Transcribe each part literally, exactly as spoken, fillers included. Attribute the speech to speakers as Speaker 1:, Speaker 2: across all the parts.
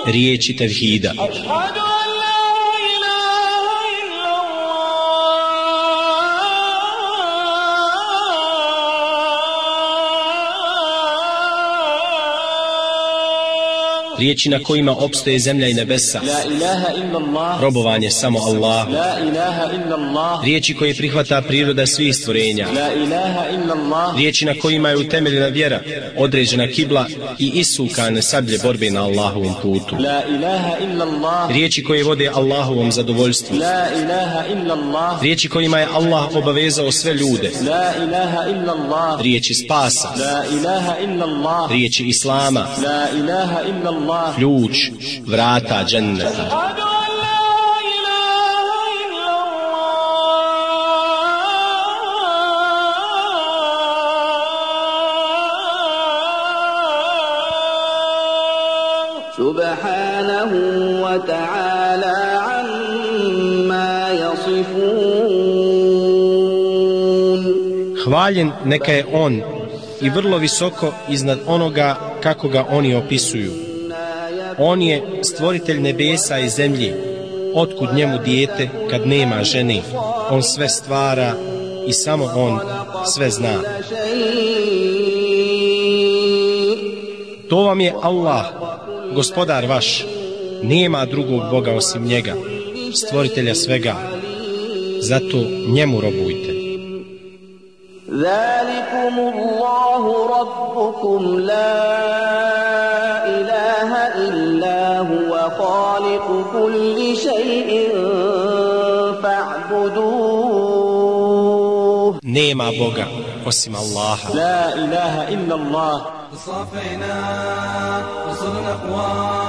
Speaker 1: Riječi tevhida. Riječi na kojima opstoje zemlja i nebesa. Robovanje samo Allahu. Riječi koje prihvata priroda svih stvorenja. Riječi na kojima je utemeljena vjera, određena kibla i isukane sablje borbe na Allahovom putu. Riječi koje vode Allahovom zadovoljstvu. Riječi kojima je Allah obavezao sve ljude. Riječi spasa. Riječi Islama. Ključ vrata dženneta.
Speaker 2: Subhanahu wa ta'ala amma yasifun.
Speaker 1: Hvaljen neka je on i vrlo visoko iznad onoga kako ga oni opisuju. On je stvoritelj nebesa i zemlje. Otkud njemu dijete kad nema žene? On sve stvara i samo on sve zna. To vam je Allah, gospodar vaš. Nema drugog Boga osim njega, stvoritelja svega. Zato njemu robujte.
Speaker 2: ذلكم الله ربكم لا إله إلا هو خالق كل شيء فاعبدوه.
Speaker 1: Nema Boga osim Allaha.
Speaker 2: لا إله إلا الله.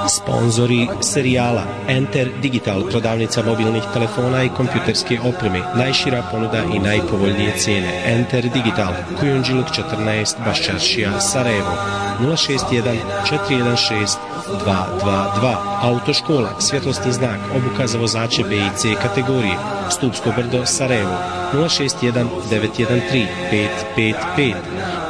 Speaker 1: Sponzori serijala Enter Digital, prodavnica mobilnih telefona i kompjuterske opreme, najšira ponuda i najpovoljnije cijene. Enter Digital, Kujundžiluk četrnaest, Baščaršija, Sarajevo, nula šest jedan četiri jedan šest dva dva dva. Autoškola, svjetlosni znak, obuka za vozače B i C kategorije, Stupsko brdo, Sarajevo, nula šest jedan devet jedan tri pet pet pet.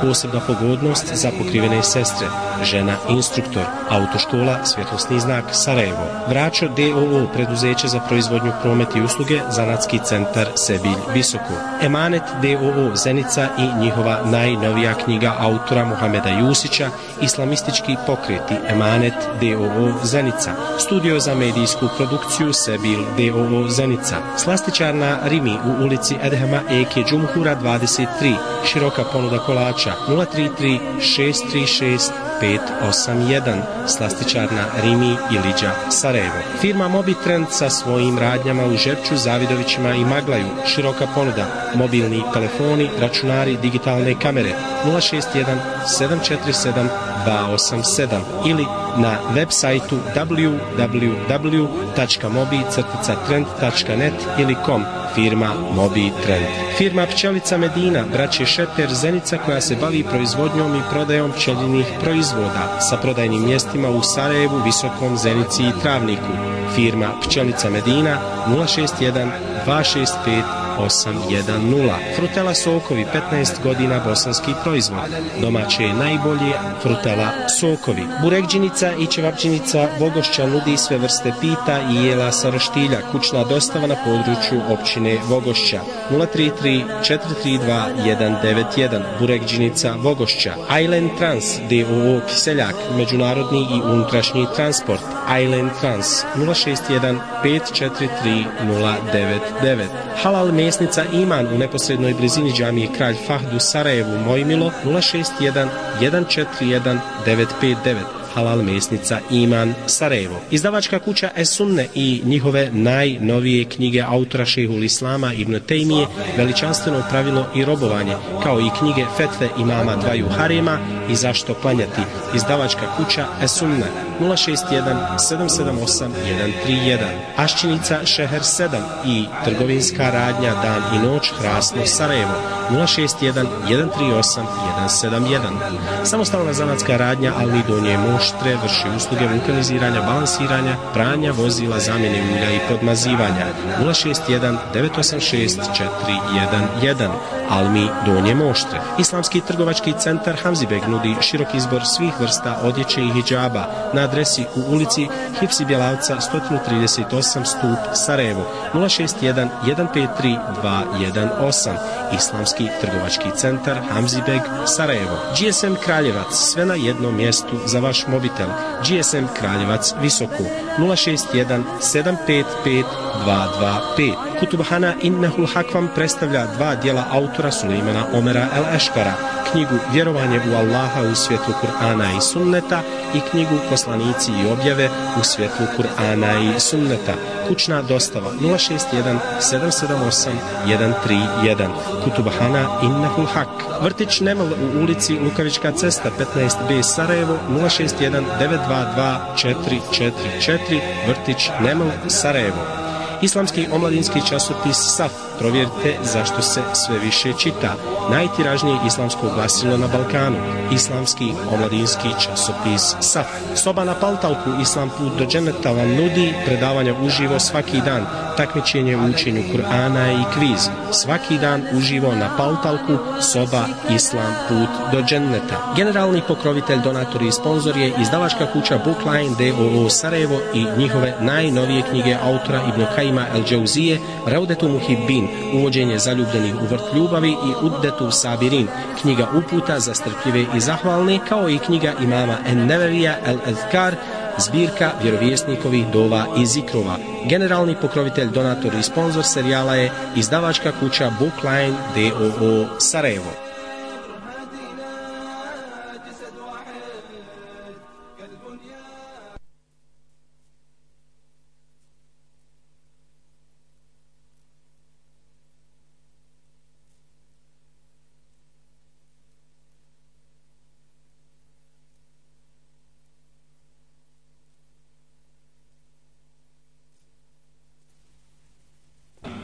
Speaker 1: Posebna pogodnost za pokrivene sestre, žena instruktor. Autoškola, svjetlosni znak, Sarajevo. Vračo D O O, preduzeće za proizvodnju, promet i usluge, zanatski centar Sebilj Visoko. Emanet D O O, Zenica i njihova najnovija knjiga autora Muhameda Jusića, Islamistički pokreti, Emanet D O O, Zenica. Studio za medijsku produkciju Sebilj D O O, Zenica. Slastičarna Rimi u ulici Edhema Eke Džumhura dvadeset tri. Široka ponuda kolača nula tri tri šest tri šest pet osam jedan. Slastičarna Rimi i Liđa, Sarajevo. Firma Mobitrend sa svojim radnjama u Žepču, Zavidovićima i Maglaju. Široka ponuda, mobilni telefoni, računari, digitalne kamere nula šest jedan sedam četiri sedam dva osam sedam ili na web sajtu w w w tačka mobi trend tačka net ili com. Firma Mobitrend. Firma Pčelica Medina, braće Šeper, Zenica, koja se bavi proizvodnjom i prodajom pčelinjih proizvoda sa prodajnim mjestima u Sarajevu, Visokom, Zenici i Travniku. Firma Pčelica Medina nula šest jedan dva šest pet osam jedan nula. Frutela sokovi, petnaest godina, bosanski proizvod. Domaće je najbolje Frutela sokovi. Burekđinica i ćevapđinica Vogošća nudi sve vrste pita i jela sa roštilja. Kućna dostava na području općine Vogošća nula tri tri četiri tri dva jedan devet jedan. Burekđinica Vogošća. Island Trans D O O Kiseljak, međunarodni i unutrašnji transport. Island Trans nula šest jedan pet četiri tri nula devet devet. Halal mesnica Iman u neposrednoj blizini džamije Kralj Fahd u Sarajevu, Mojmilo nula šest jedan jedan četiri jedan devet pet devet. halal mesnica Iman Sarajevo. Izdavačka kuća Es-Sunne i njihove najnovije knjige autora šejhul Islama Ibn Tejmije Veličanstveno pravilo i robovanje, kao i knjige Fetve imama dvaju harema i Zašto klanjati. Izdavačka kuća Es-Sunne nula šest jedan sedam sedam osam jedan tri jedan. Aščinica Šeher sedam i trgovinska radnja Dan i noć Hrasno Sarajevo nula šest jedan jedan tri osam jedan sedam jedan. Samostalna zanatska radnja Ali Donje Moštre vrši usluge vulkaniziranja, balansiranja, pranja vozila, zamjene ulja i podmazivanja nula šest jedan devet osam šest četiri jedan jedan. Almi Donje Moštre. Islamski trgovački centar Hamzibeg nudi širok izbor svih vrsta odjeće i hidžaba na adresi u ulici Hifsi Bjelavca sto trideset osam Stup Sarajevo nula šest jedan jedan pet tri dva jedan osam. Islamski trgovački centar Hamzibeg Sarajevo. G S M Kraljevac, sve na jednom mjestu za vaš mobitel. G S M Kraljevac Visoko nula šest jedan sedam pet pet dva dva pet. Kutubhana Innehul Hak vam predstavlja dva dijela autora Sulejmana Omera El Eškara, knjigu Vjerovanje u Allaha u svjetlu Kur'ana i Sunneta i knjigu Poslanici i objave u svjetlu Kur'ana i Sunneta. Kućna dostava nula šest jedan sedam sedam osam jedan tri jedan. Kutubhana Innehul Hak. Vrtić Neml u ulici Lukavička cesta petnaest B Sarajevo nula šest jedan devet dva dva četiri četiri četiri. Vrtić Neml Sarajevo. Islamski omladinski časopis Saf. Provjerite zašto se sve više čita. Najtiražnije islamsko glasilo na Balkanu. Islamski omladinski časopis Saf. Soba na Paltalku Islam put do dženeta vam nudi predavanja uživo svaki dan, takmičenje u učenju Kur'ana i kviz. Svaki dan uživo na Paltalku soba Islam put do dženeta. Generalni pokrovitelj, donator i sponzor je izdavačka kuća Bookline d o o Sarajevo i njihove najnovije knjige autora Ibn Kajima El Džauzije Raudetu Muhibbin, uvođenje zaljubljenih u vrt ljubavi i Uddetu Sabirin, knjiga uputa za strpljive i zahvalne, kao i knjiga imama En-Nevevija El Azkar, zbirka vjerovjesnikovih dova i zikrova. Generalni pokrovitelj, donator i sponzor serijala je izdavačka kuća Bookline d o o Sarajevo.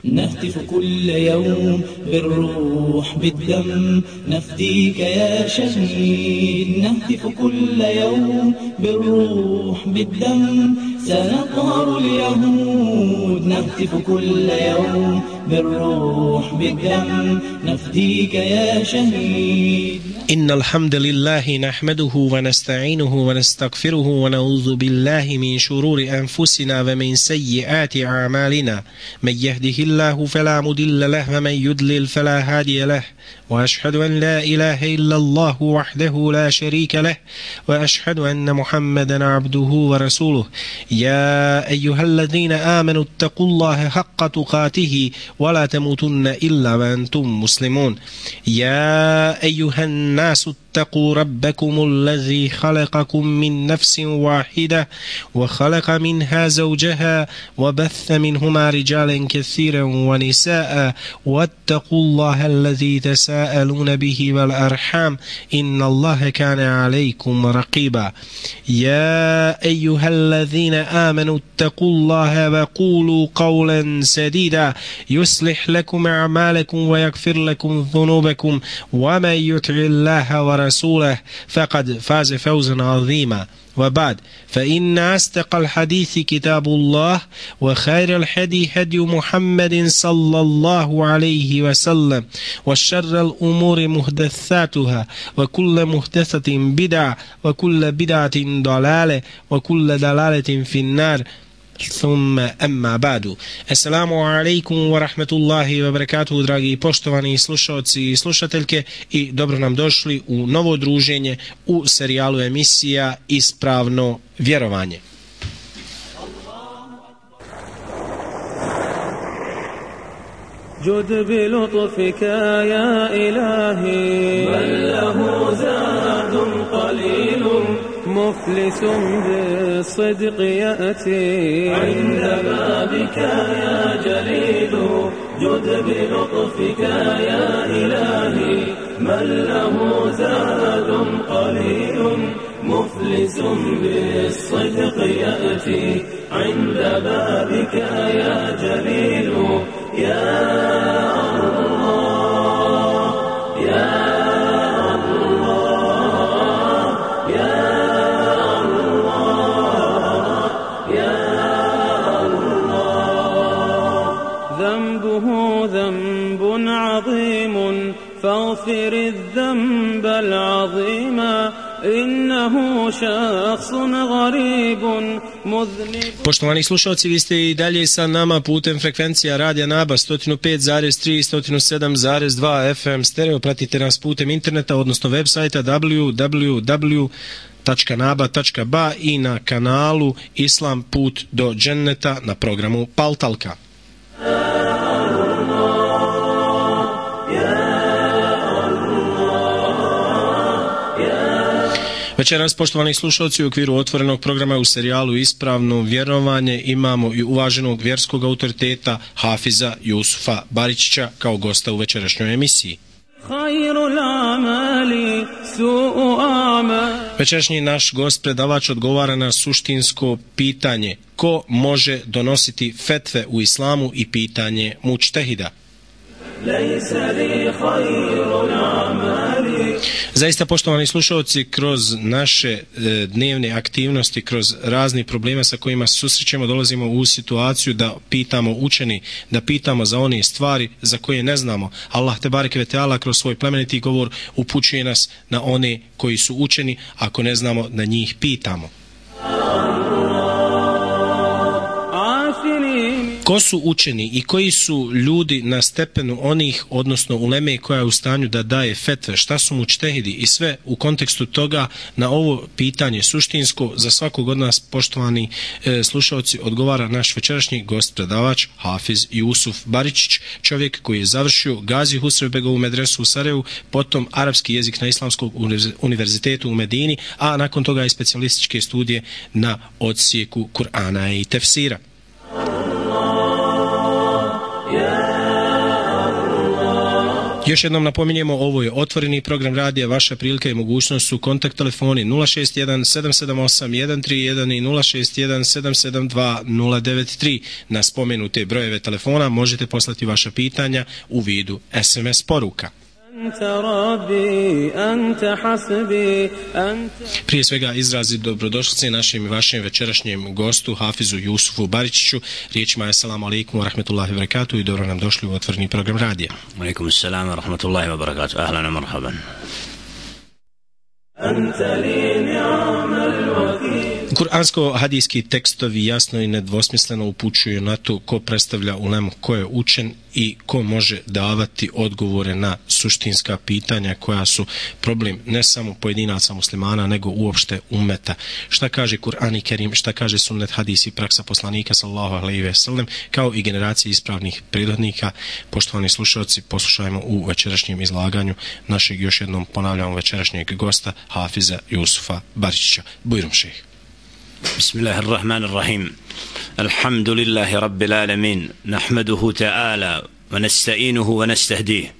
Speaker 3: نهتف كل يوم بالروح بالدم نفديك يا شهيد. نهتف كل يوم بالروح بالدم سنقهر اليهود. نهتف كل يوم بالروح بالدم نفديك يا شهيد.
Speaker 1: إن الحمد لله نحمده ونستعينه ونستغفره ونعوذ بالله من شرور أنفسنا ومن سيئات أعمالنا. من يهده الله فلا مضل له ومن يضلل فلا هادي له. وأشهد أن لا إله إلا الله وحده لا شريك له وأشهد أن محمدا عبده ورسوله. يا أيها الذين آمنوا اتقوا الله حق تقاته ولا تموتن إلا وأنتم مسلمون. يا أيها الناس اتقوا ربكم الذي خلقكم من نفس واحدة وخلق منها زوجها وبث منهما رجالا كثيرا ونساء واتقوا الله الذي تساءلون به والأرحام إن الله كان عليكم رقيبا. يا أيها الذين آمنوا اتقوا الله وقولوا قولا سديدا يصلح لكم أعمالكم ويغفر لكم ذنوبكم ومن يطع الله ورسوله فقد فاز فوزا عظيما. وبعد فإن أصدق الحديث كتاب الله وخير الهدي هدي محمد صلى الله عليه وسلم وشر الأمور محدثاتها وكل محدثة بدعة وكل بدعة ضلالة وكل ضلالة في النار. Thumma amma ba'du. Assalamu alaikum wa rahmatullahi wa barakatuhu, dragi poštovani slušalci i slušateljke, i dobro nam došli u novo druženje u serijalu emisija Ispravno vjerovanje.
Speaker 4: جد بلطفك يا إلهي من له زاد قليل مفلس بالصدق يأتي
Speaker 3: عند بابك يا جليل جد بلطفك يا إلهي من له زاد قليل مفلس بالصدق يأتي عند بابك يا جليل يا الله يا
Speaker 4: فاغفر الذنب العظيم إنه شخص غريب مذنب.
Speaker 1: Poštovani slušalci, vi ste i dalje sa nama putem frekvencija Radija Naba sto pet zarez tri i sto sedam zarez dva F M stereo. Pratite nas putem interneta, odnosno web sajta w w w tačka naba tačka ba i na kanalu Islam put do dženneta na programu Paltalka. Večeras, poštovani slušalci, u okviru otvorenog programa u serijalu Ispravno vjerovanje imamo i uvaženog vjerskog autoriteta Hafiza Jusufa Baričića kao gosta u večerašnjoj emisiji. Večerašnji naš gost predavač odgovara na suštinsko pitanje: ko može donositi fetve u islamu i pitanje mučtehida. Zaista, poštovani slušalci, kroz naše e, dnevne aktivnosti, kroz razni probleme sa kojima se susrećemo, dolazimo u situaciju da pitamo učeni, da pitamo za one stvari za koje ne znamo. Allah te bareke ve teala kroz svoj plemeniti govor upućuje nas na one koji su učeni, ako ne znamo da njih pitamo. Ko su učeni i koji su ljudi na stepenu onih, odnosno uleme koja je u stanju da daje fetve, šta su mučtehidi i sve u kontekstu toga na ovo pitanje suštinsko za svakog od nas, poštovani e, slušalci, odgovara naš večerašnji gost predavač Hafiz Jusuf Baričić, čovjek koji je završio Gazi Husrevbegovu medresu u Sarajevu, potom arapski jezik na Islamskom univerzitetu u Medini, a nakon toga i specijalističke studije na odsjeku Kur'ana i tefsira. Još jednom napominjemo, ovo je otvoreni program radija, vaša prilika i mogućnost su kontakt telefoni nula šest jedan sedam sedam osam jedan tri jedan i nula šest jedan sedam sedam dva nula devet tri. Na spomenute brojeve telefona možete poslati vaša pitanja u vidu S M S poruka. Prije svega izrazi dobrodošlice našem i vašem večerašnjem gostu Hafizu Jusufu Baričiću. Riječima je assalamu alaikum wa rahmatullahi wa barakatuh i dobro nam došli u otvoreni program radija.
Speaker 5: Alaikum assalam wa rahmatullahi wa barakatuh. Ahlan wa marhaban.
Speaker 1: Kuransko-hadijski tekstovi jasno i nedvosmisleno upućuju na to ko predstavlja ulemu, ko je učen i ko može davati odgovore na suštinska pitanja koja su problem ne samo pojedinaca muslimana, nego uopšte ummeta. Šta kaže Kur'an i Kerim, šta kaže sunnet, hadis i praksa poslanika sallallahu alejhi ve sellem, kao i generacije ispravnih prethodnika. Poštovani slušalci, poslušajmo u večerašnjem izlaganju našeg, još jednom ponavljamo, večerašnjeg gosta Hafiza Jusufa Baričića. Bujrum šejh.
Speaker 5: بسم الله الرحمن الرحيم الحمد لله رب العالمين نحمده تعالى ونستعينه ونستهديه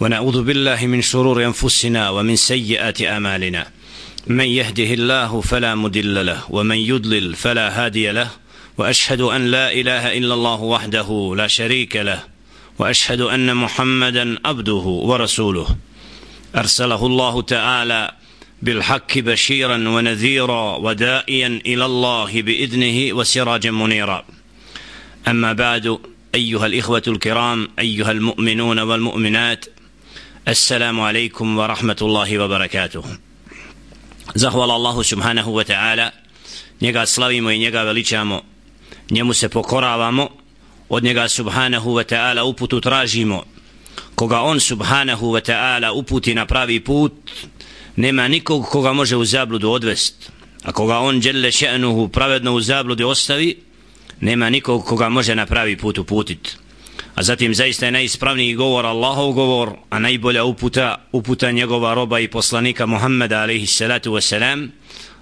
Speaker 5: ونعوذ بالله من شرور أنفسنا ومن سيئات أعمالنا من يهده الله فلا مضل له ومن يضلل فلا هادي له وأشهد أن لا إله إلا الله وحده لا شريك له وأشهد أن محمدا عبده ورسوله أرسله الله تعالى بالحق بشيرا ونذيرا ودائيا إلى الله بإذنه وسراجا منيرا أما بعد أيها الإخوة الكرام أيها المؤمنون والمؤمنات السلام عليكم ورحمة الله وبركاته. Zahvala Allahu subhanahu wa ta'ala, njega slavimo i njega veličamo, njemu se pokoravamo, od njega subhanahu wa ta'ala uputu tražimo. Koga on subhanahu wa ta'ala uputi na pravi put, nema nikog koga može u zabludu odvest, a koga on dželle še'nuhu pravedno u zabludi ostavi, nema nikog koga može na pravi put uputit. A zatim zaista je najispravniji govor Allahov govor, a najbolja uputa uputa njegova roba i poslanika Muhammeda alejhi salatu vesselam,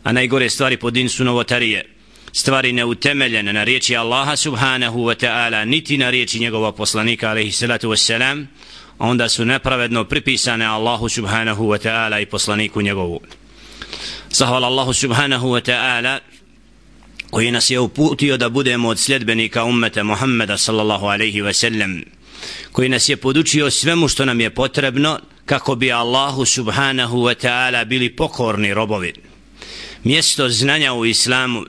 Speaker 5: a najgore stvari po din su novotarije, stvari neutemeljene na riječi Allaha subhanahu wa ta'ala, niti na riječi njegova poslanika alejhi salatu wassalam, onda su nepravedno pripisane Allahu subhanahu wa ta'ala i poslaniku njegovu. Zahvala Allahu subhanahu wa ta'ala koji nas je uputio da budemo od sljedbenika ummeta Muhammeda sallallahu alaihi wa sallam, koji nas je podučio svemu što nam je potrebno kako bi Allahu subhanahu wa ta'ala bili pokorni robovi. Mjesto znanja u islamu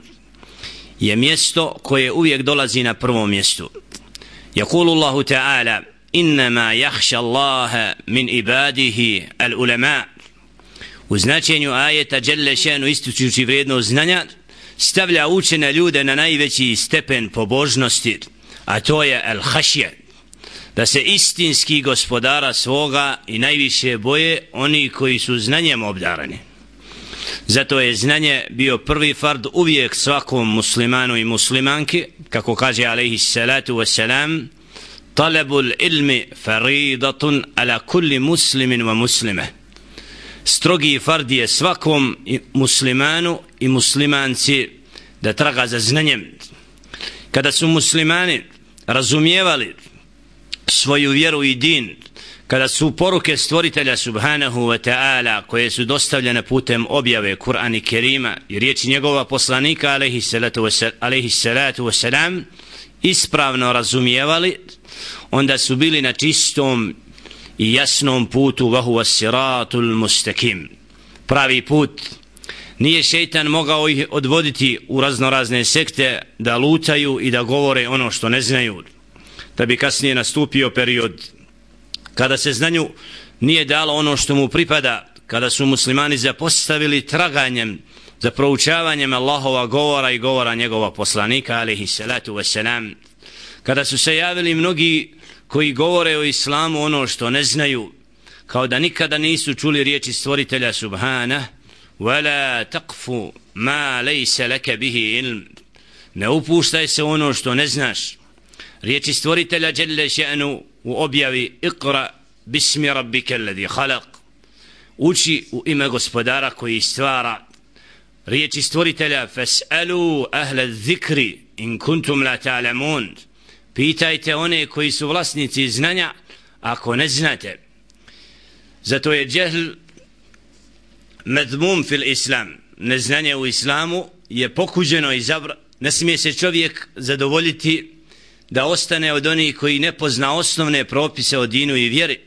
Speaker 5: je mjesto koje uvijek dolazi na prvom mjestu. Jakulu Allahu ta'ala: innama jahša Allaha min ibadihi al ulama. U značenju ajeta dželle šanu ističući vrijednost znanja stavlja učene ljude na najveći stepen pobožnosti, a to je al hašje, da se istinski gospodara svoga i najviše boje oni koji su znanjem obdarani. Zato je znanje bio prvi fard uvijek svakom muslimanu i muslimanki, kako kaže alejhi salatu wassalam: talabul ilmi faridatun ala kulli muslimin wa muslime. Strogi fard je svakom muslimanu i muslimanci da traga za znanjem. Kada su muslimani razumijevali svoju vjeru i din, kada su poruke stvoritelja subhanahu wa ta'ala koje su dostavljene putem objave Kur'ana i Kerima i riječi njegova poslanika alejhi salatu wassalam ispravno razumijevali, onda su bili na čistom i jasnom putu, wa huwa siratul mustaqim, pravi put. Nije šejtan mogao ih odvoditi u raznorazne sekte da lutaju i da govore ono što ne znaju, da bi kasnije nastupio period kada se znanju nije dalo ono što mu pripada, kada su muslimani zapostavili traganjem za proučavanjem Allahova govora i govora njegova poslanika alejhi salatu wassalam, kada su se javili mnogi koji govore o islamu ono što ne znaju, kao da nikada nisu čuli riječi stvoritelja subhana: wala taqfu ma laysa laka bihi ilm, ne upuštaj se ono što ne znaš. Riječi stvoritelja dželle šanu u objavi: iqra bismi rabbika alladhi khalaq, uči u ime gospodara koji stvara. Riječi stvoritelja: fas'alu ahla dhikri in kuntum la ta'lamun, pitajte one koji su vlasnici znanja ako ne znate. Zato je džehl medmum fil islam, neznanje u islamu je pokuđeno i zabra. Ne smije se čovjek zadovoljiti da ostane od onih koji ne pozna osnovne propise o dinu i vjeri.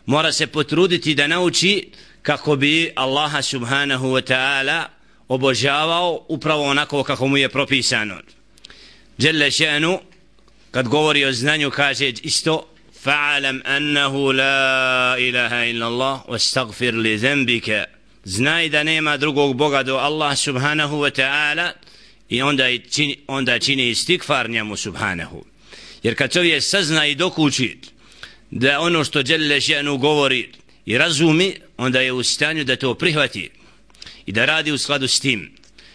Speaker 5: Mora se potruditi da nauči kako bi Allaha subhanahu wa ta'ala obožavao upravo onako kako mu je propisano. Dželle šanu kad govori o znanju kaže isto: fa'alam annahu la ilaha illa Allah wastaghfir li dhanbika, znaj da nema drugog Boga do Allah subhanahu wa ta'ala i onda čini, onda čini istikfar njemu subhanahu. Jer kad čovjek sazna i dokuči da ono što dželle šanu govori i razumi, onda je u stanju da to prihvati i da radi u skladu s tim.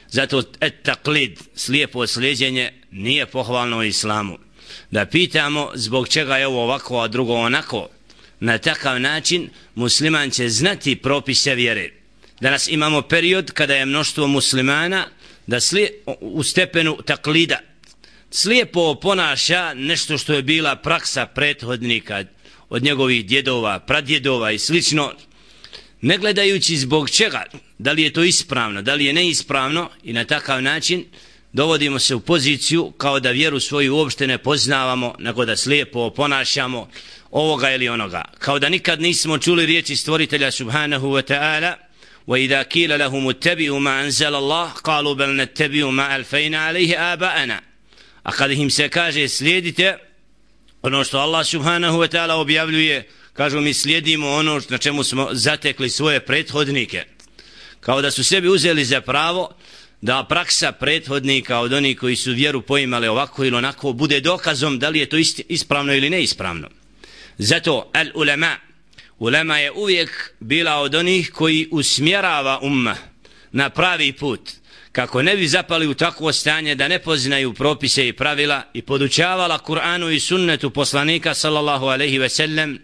Speaker 5: Zato et taklid, slijepo slijeđenje, nije pohvalno u islamu. Da pitamo zbog čega je ovo ovako, a drugo onako. Na takav način musliman će znati propise vjere. Danas imamo period kada je mnoštvo muslimana da slije, u stepenu taklida slijepo ponaša nešto što je bila praksa prethodnika od njegovih djedova, pradjedova i slično, ne gledajući zbog čega, da li je to ispravno, da li je neispravno, i na takav način dovodimo se u poziciju kao da vjeru svoju uopšte ne poznavamo, nego da slijepo ponašamo ovoga ili onoga, kao da nikad nismo čuli riječi stvoritelja subhanahu wa ta'ala: وَإِذَا كِيلَ لَهُمُ اتَّبِعُوا مَا أَنزَلَ اللَّهُ قَالُوا بَلْ نَتَّبِعُوا مَا أَلْفَيْنَا عَلَيْهِ آبَاءَنَا. A kada im se kaže slijedite ono što Allah subhanahu wa ta'ala objavljuje, kažu mi slijedimo ono na čemu smo zatekli svoje prethodnike, kao da su sebi uzeli za pravo da praksa prethodnika od onih koji su vjeru poimali ovako ili onako bude dokazom da li je to isti, ispravno ili neispravno. Zato al ulema, ulema je uvijek bila od onih koji usmjerava umma na pravi put, kako ne bi zapali u takvo stanje da ne poznaju propise i pravila, i podučavala Kur'anu i sunnetu poslanika sallallahu alejhi ve sellem,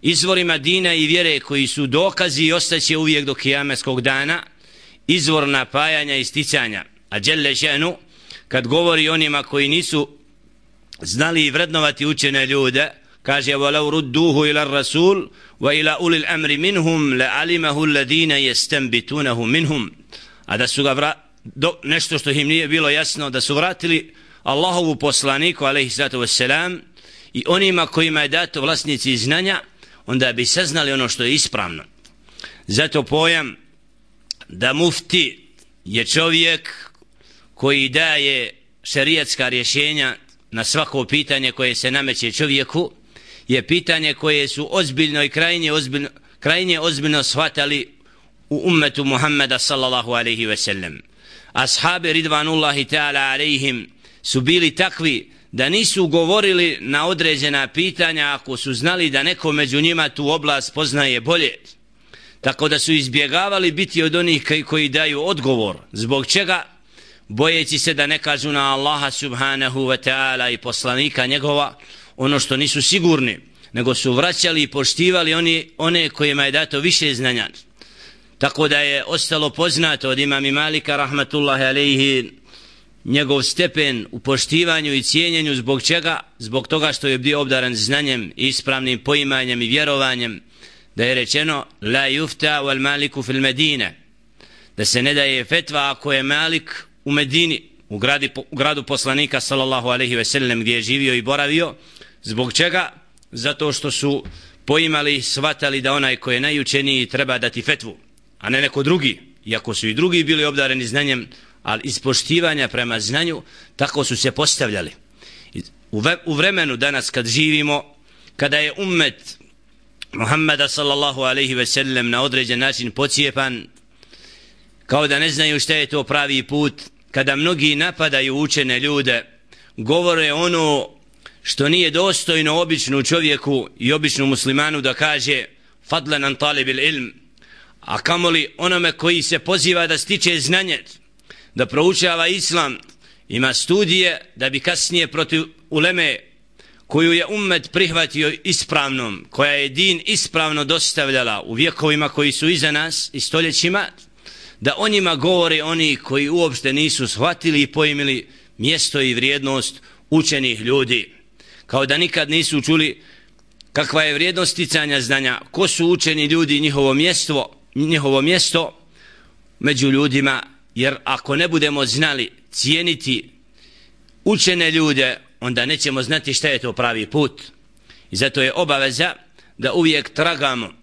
Speaker 5: izvorima dina i vjere koji su dokazi i ostaće uvijek do kijameskog dana, izvor napajanja i sticanja. A dželle še'nu kad govori onima koji nisu znali vrednovati učene ljude, kaže وَلَوْ رُدُّوهُ إِلَى الرَّسُولِ وَإِلَى أُولِي الْأَمْرِ مِنْهُمْ لَعَلِمَهُ الَّذِينَ يَسْتَنْبِتُونَهُ مِنْهُمْ. A da su ga vra... Do, nešto što im nije bilo jasno, da su vratili Allahovu poslaniku alejhi salatu vesselam i onima kojima je dato vlasnici znanja, onda bi saznali ono što je ispravno. Zato pojam da mufti je čovjek koji daje šerijatska rješenja na svako pitanje koje se nameće čovjeku, je pitanje koje su ozbiljno i krajnje ozbiljno, krajnje ozbiljno shvatali u ummetu Muhammeda sallallahu alaihi ve sellem. Ashabi ridvanullahi ta'ala alaihim su bili takvi da nisu govorili na određena pitanja ako su znali da neko među njima tu oblast poznaje bolje. Tako da su izbjegavali biti od onih koji daju odgovor. Zbog čega? Bojeći se da ne kažu na Allaha subhanahu wa ta'ala i poslanika njegova ono što nisu sigurni, nego su vraćali i poštivali oni, one kojima je dato više znanja. Tako da je ostalo poznato od imama Malika rahmatullahi alejhi njegov stepen u poštivanju i cijenjenju. Zbog čega? Zbog toga što je bio obdaran znanjem i ispravnim poimanjem i vjerovanjem, da je rečeno la yufta wal maliku fil medine, da se ne daje fetva ako je Malik u Medini, u, gradi, u gradu poslanika sallallahu alejhi ve sellem gdje je živio i boravio. Zbog čega? Zato što su poimali i shvatali da onaj koji je najučeniji treba dati fetvu, a ne neko drugi, iako su i drugi bili obdareni znanjem, ali iz poštivanja prema znanju tako su se postavljali. U vremenu danas kad živimo, kada je ummet Muhammeda sallallahu alejhi ve sellem na određen način pocijepan, kao da ne znaju šta je to pravi put, kada mnogi napadaju učene ljude, govore ono što nije dostojno običnu čovjeku i običnu muslimanu da kaže fadlan an talibil ilm, a kamoli onome koji se poziva da stiče znanje, da proučava islam, ima studije da bi kasnije protiv uleme koju je ummet prihvatio ispravnom, koja je din ispravno dostavljala u vjekovima koji su iza nas i stoljećima, da o njima govore oni koji uopšte nisu shvatili i pojmili mjesto i vrijednost učenih ljudi, kao da nikad nisu čuli kakva je vrijednost sticanja znanja, ko su učeni ljudi, njihovo mjesto, njihovo mjesto među ljudima. Jer ako ne budemo znali cijeniti učene ljude, onda nećemo znati šta je to pravi put. I zato je obaveza da uvijek tragamo,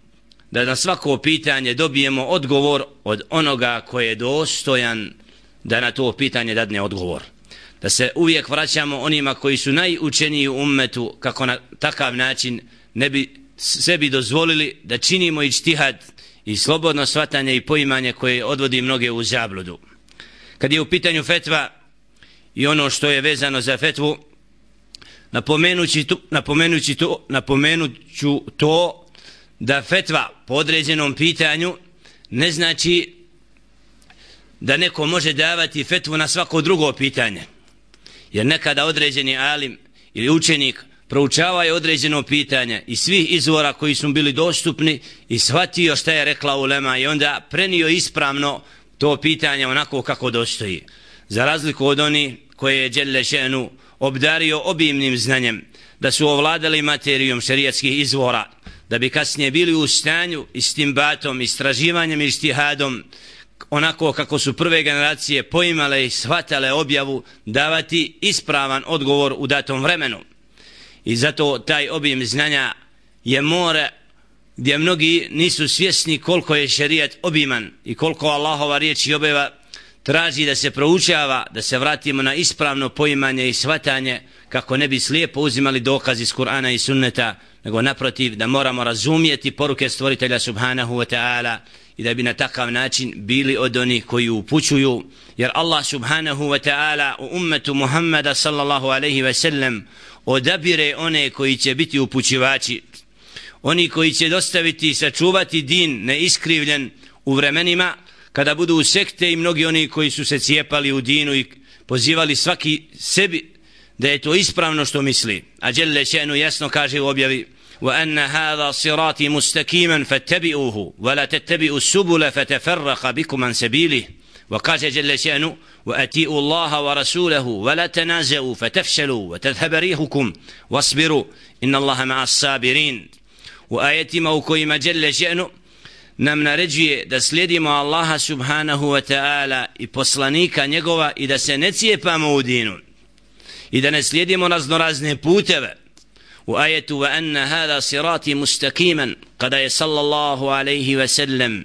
Speaker 5: da na svako pitanje dobijemo odgovor od onoga koji je dostojan da na to pitanje dadne odgovor. Da se uvijek vraćamo onima koji su najučeniji u ummetu, kako na takav način ne bi sebi dozvolili da činimo ijtihad i slobodno shvatanje i poimanje koje odvodi mnoge u zabludu. Kad je u pitanju fetva i ono što je vezano za fetvu, napomenući to, napomenući to, napomenuću to da fetva po određenom pitanju ne znači da neko može davati fetvu na svako drugo pitanje. Jer nekada određeni alim ili učenik proučavaju određeno pitanje i svih izvora koji su bili dostupni i shvatio šta je rekla ulema i onda prenio ispravno to pitanje onako kako dostoji. Za razliku od oni koje je dželle še'nu obdario obimnim znanjem, da su ovladali materijom šerijatskih izvora, da bi kasnije bili u stanju istimbatom, istraživanjem i ijtihadom, onako kako su prve generacije poimale i shvatale objavu, davati ispravan odgovor u datom vremenu. I zato taj obim znanja je more gdje mnogi nisu svjesni koliko je šerijat obiman i koliko Allahova riječ i objava traži da se proučava, da se vratimo na ispravno poimanje i shvatanje, kako ne bi slijepo uzimali dokaz iz Kur'ana i sunneta, nego naprotiv da moramo razumjeti poruke stvoritelja subhanahu wa ta'ala i da bi na takav način bili od onih koji upućuju. Jer Allah subhanahu wa ta'ala u ummetu Muhammeda sallallahu alaihi wa sallam odabire one koji će biti upućivači, oni koji će dostaviti i sačuvati din neiskrivljen u vremenima kada budu u sekte i mnogi oni koji su se cijepali u dinu i pozivali svaki sebi da je to ispravno što misli. A dželle še'nu jasno kaže u objavi وأن هذا صراطي مستقيما فاتبعوه ولا تتبعوا السبل فتفرق بكم عن سبيله وقال جل شأنه وأطيعوا الله ورسوله ولا تنازعوا فتفشلوا وتذهب ريحكم واصبروا إن الله مع الصابرين. وآياتما u kojima جل شأنه nam naređuje da slijedimo Allaha subhanahu wa ta'ala i poslanika njegova i da se ne cijepamo u dinu i da ne slijedimo raznorazne puteve. U ajetu wa anna hada sirati mustaqiman, kada je sallallahu alaihi wa sallam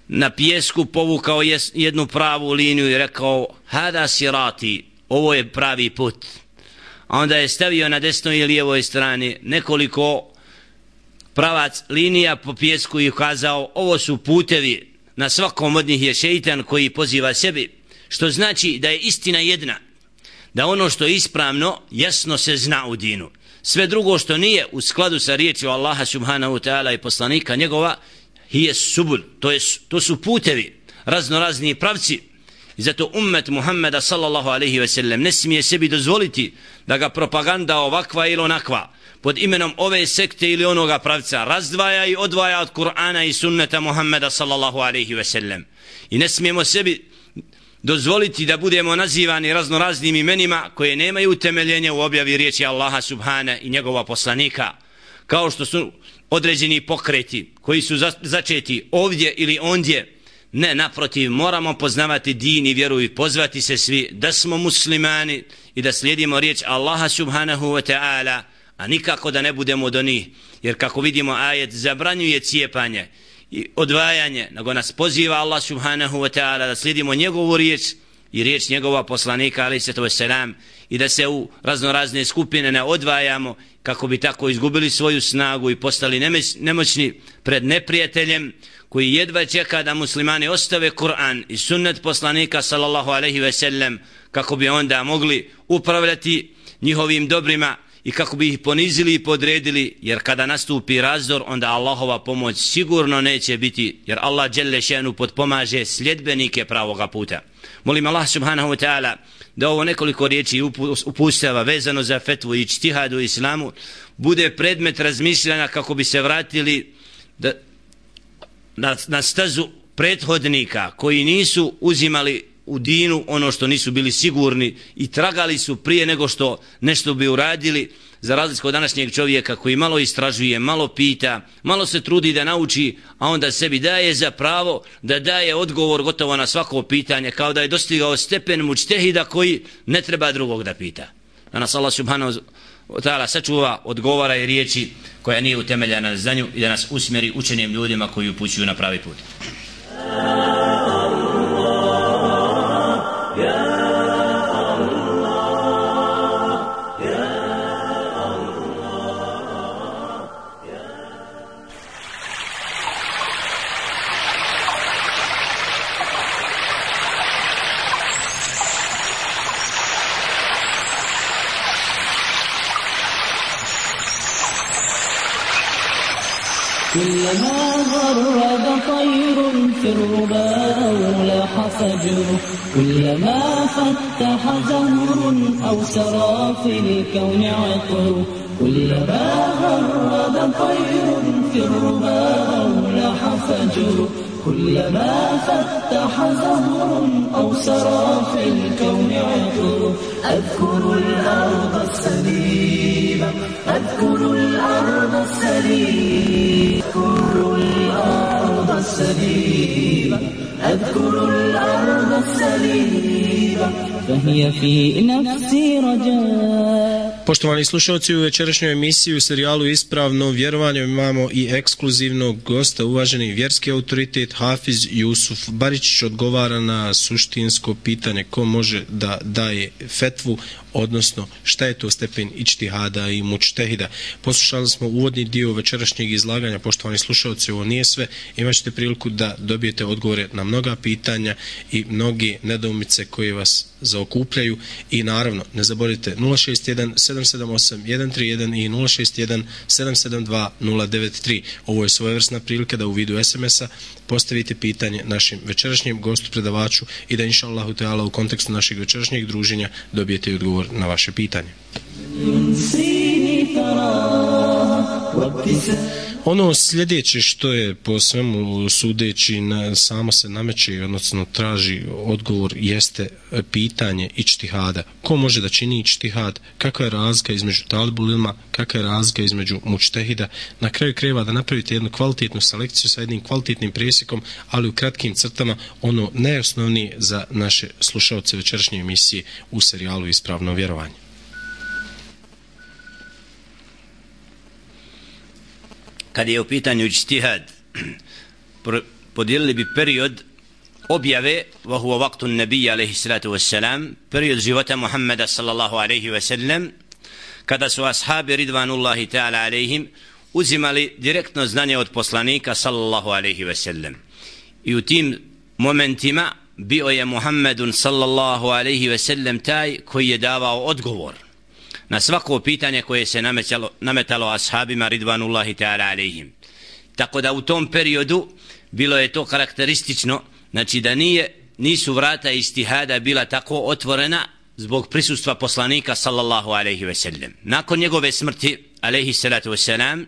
Speaker 5: na pijesku povukao jednu pravu liniju i rekao hada sirati, ovo je pravi put, a onda je stavio na desnoj i lijevoj strani nekoliko pravac linija po pijesku i ukazao ovo su putevi, na svakom od njih je šeitan koji poziva sebi, što znači da je istina jedna, da ono što je ispravno jasno se zna u dinu, sve drugo što nije u skladu sa riječju Allaha subhanahu wa ta'ala i poslanika njegova hije subul, to, je, to su putevi, raznorazni pravci. I zato ummet Muhammeda sallallahu alaihi ve sellem ne smije sebi dozvoliti da ga propaganda ovakva ili onakva pod imenom ove sekte ili onoga pravca razdvaja i odvaja od Kur'ana i sunneta Muhammeda sallallahu alaihi ve sellem. I ne smijemo sebi dozvoliti da budemo nazivani raznoraznim imenima koje nemaju utemeljenja u objavi riječi Allaha subhana i njegova poslanika, kao što su određeni pokreti koji su začeti ovdje ili ondje. Ne, naprotiv, moramo poznavati din i vjeru i pozvati se svi da smo muslimani i da slijedimo riječ Allaha subhanahu wa ta'ala, a nikako da ne budemo od onih, jer kako vidimo ajet zabranjuje cijepanje i odvajanje, nego nas poziva Allah subhanahu wa ta'ala da slijedimo njegovu riječ i riječ njegova poslanika alejhi salatu vesselam i da se u raznorazne skupine ne odvajamo kako bi tako izgubili svoju snagu i postali nemoćni pred neprijateljem koji jedva čeka da muslimani ostave Kur'an i sunnet poslanika sallallahu alejhi ve sellem kako bi onda mogli upravljati njihovim dobrima i kako bi ih ponizili i podredili, jer kada nastupi razdor onda Allahova pomoć sigurno neće biti, jer Allah dželle šanu potpomaže sljedbenike pravoga puta. Molim Allah subhanahu wa ta'ala da ovo nekoliko riječi upustava vezano za fetvu i ijtihad u islamu bude predmet razmišljanja kako bi se vratili da, na, na stazu prethodnika koji nisu uzimali u dinu ono što nisu bili sigurni i tragali su prije nego što nešto bi uradili, za razliku od današnjeg čovjeka koji malo istražuje, malo pita, malo se trudi da nauči, a onda sebi daje za pravo da daje odgovor gotovo na svako pitanje, kao da je dostigao stepen mučtehida koji ne treba drugog da pita. Da nas Allah subhanahu wa ta'ala sačuva odgovara i riječi koja nije utemeljena na znanju i da nas usmjeri učenim ljudima koji upućuju na pravi put.
Speaker 2: كلما غرد طير في الربا أو لاح فجر كلما فتح زهر أو سرى في الكون عطر كلما غرد طير في الربا أو لاح فجر كلما فتح زهر أو سرى في الكون عطر أذكر الأرض السليمة أذكر الأرض السليمة أذكر الأرض السليمة أذكر الأرض السليمة فهي في نفسي رجاء.
Speaker 1: Poštovani slušalci, u večerašnjoj emisiji u serijalu Ispravno vjerovanje imamo i ekskluzivnog gosta, uvaženi vjerski autoritet Hafiz Jusuf Baričić odgovara na suštinsko pitanje ko može da daje fetvu, odnosno šta je to stepen ijtihada i mučtehida. Poslušali smo uvodni dio večerašnjeg izlaganja, poštovani slušalci, ovo nije sve, imat ćete priliku da dobijete odgovore na mnoga pitanja i mnoge nedoumice koje vas zaokupljaju i naravno ne zaboravite nula šest jedan sedam sedam osam jedan tri jedan i nula šest jedan sedam sedam dva nula devet tri. Ovo je svojevrsna prilika da u vidu es em esa postavite pitanje našim večerašnjem gostu predavaču i da inša Allahu teala u kontekstu našeg večerašnjeg druženja dobijete odgovor na vaše pitanje. Ono sljedeće što je po svemu sudeći na, samo se nameće, odnosno traži odgovor, jeste pitanje ičtihada. Ko može da čini ičtihad? Kakva je razlika između talibul ilma? Kakva je razlika između mučtehida? Na kraju krajeva da napravite jednu kvalitetnu selekciju sa jednim kvalitetnim presjekom, ali u kratkim crtama ono najosnovnije za naše slušaoce večerašnje emisije u serijalu Ispravno vjerovanje.
Speaker 5: Kad je u pitanju ičtihad, podijelili bi period objave, wa huwa waqtu nabija alejhi salatu wassalam, period života Muhammeda sallallahu alejhi ve sellem, kada su ashabi ridvanullahi ta'ala alejhim uzimali direktno znanje od poslanika sallallahu alejhi ve sellem. I u tim momentima bio je Muhammedun sallallahu alejhi ve sellem taj koji je davao odgovor na svako pitanje koje se nametalo, nametalo ashabima ridvanullahi ta'ala alejhim. Tako da u tom periodu bilo je to karakteristično, znači da nije, nisu vrata ijtihada bila tako otvorena zbog prisustva poslanika sallallahu alejhi ve sellem. Nakon njegove smrti alejhi salatu vesselam,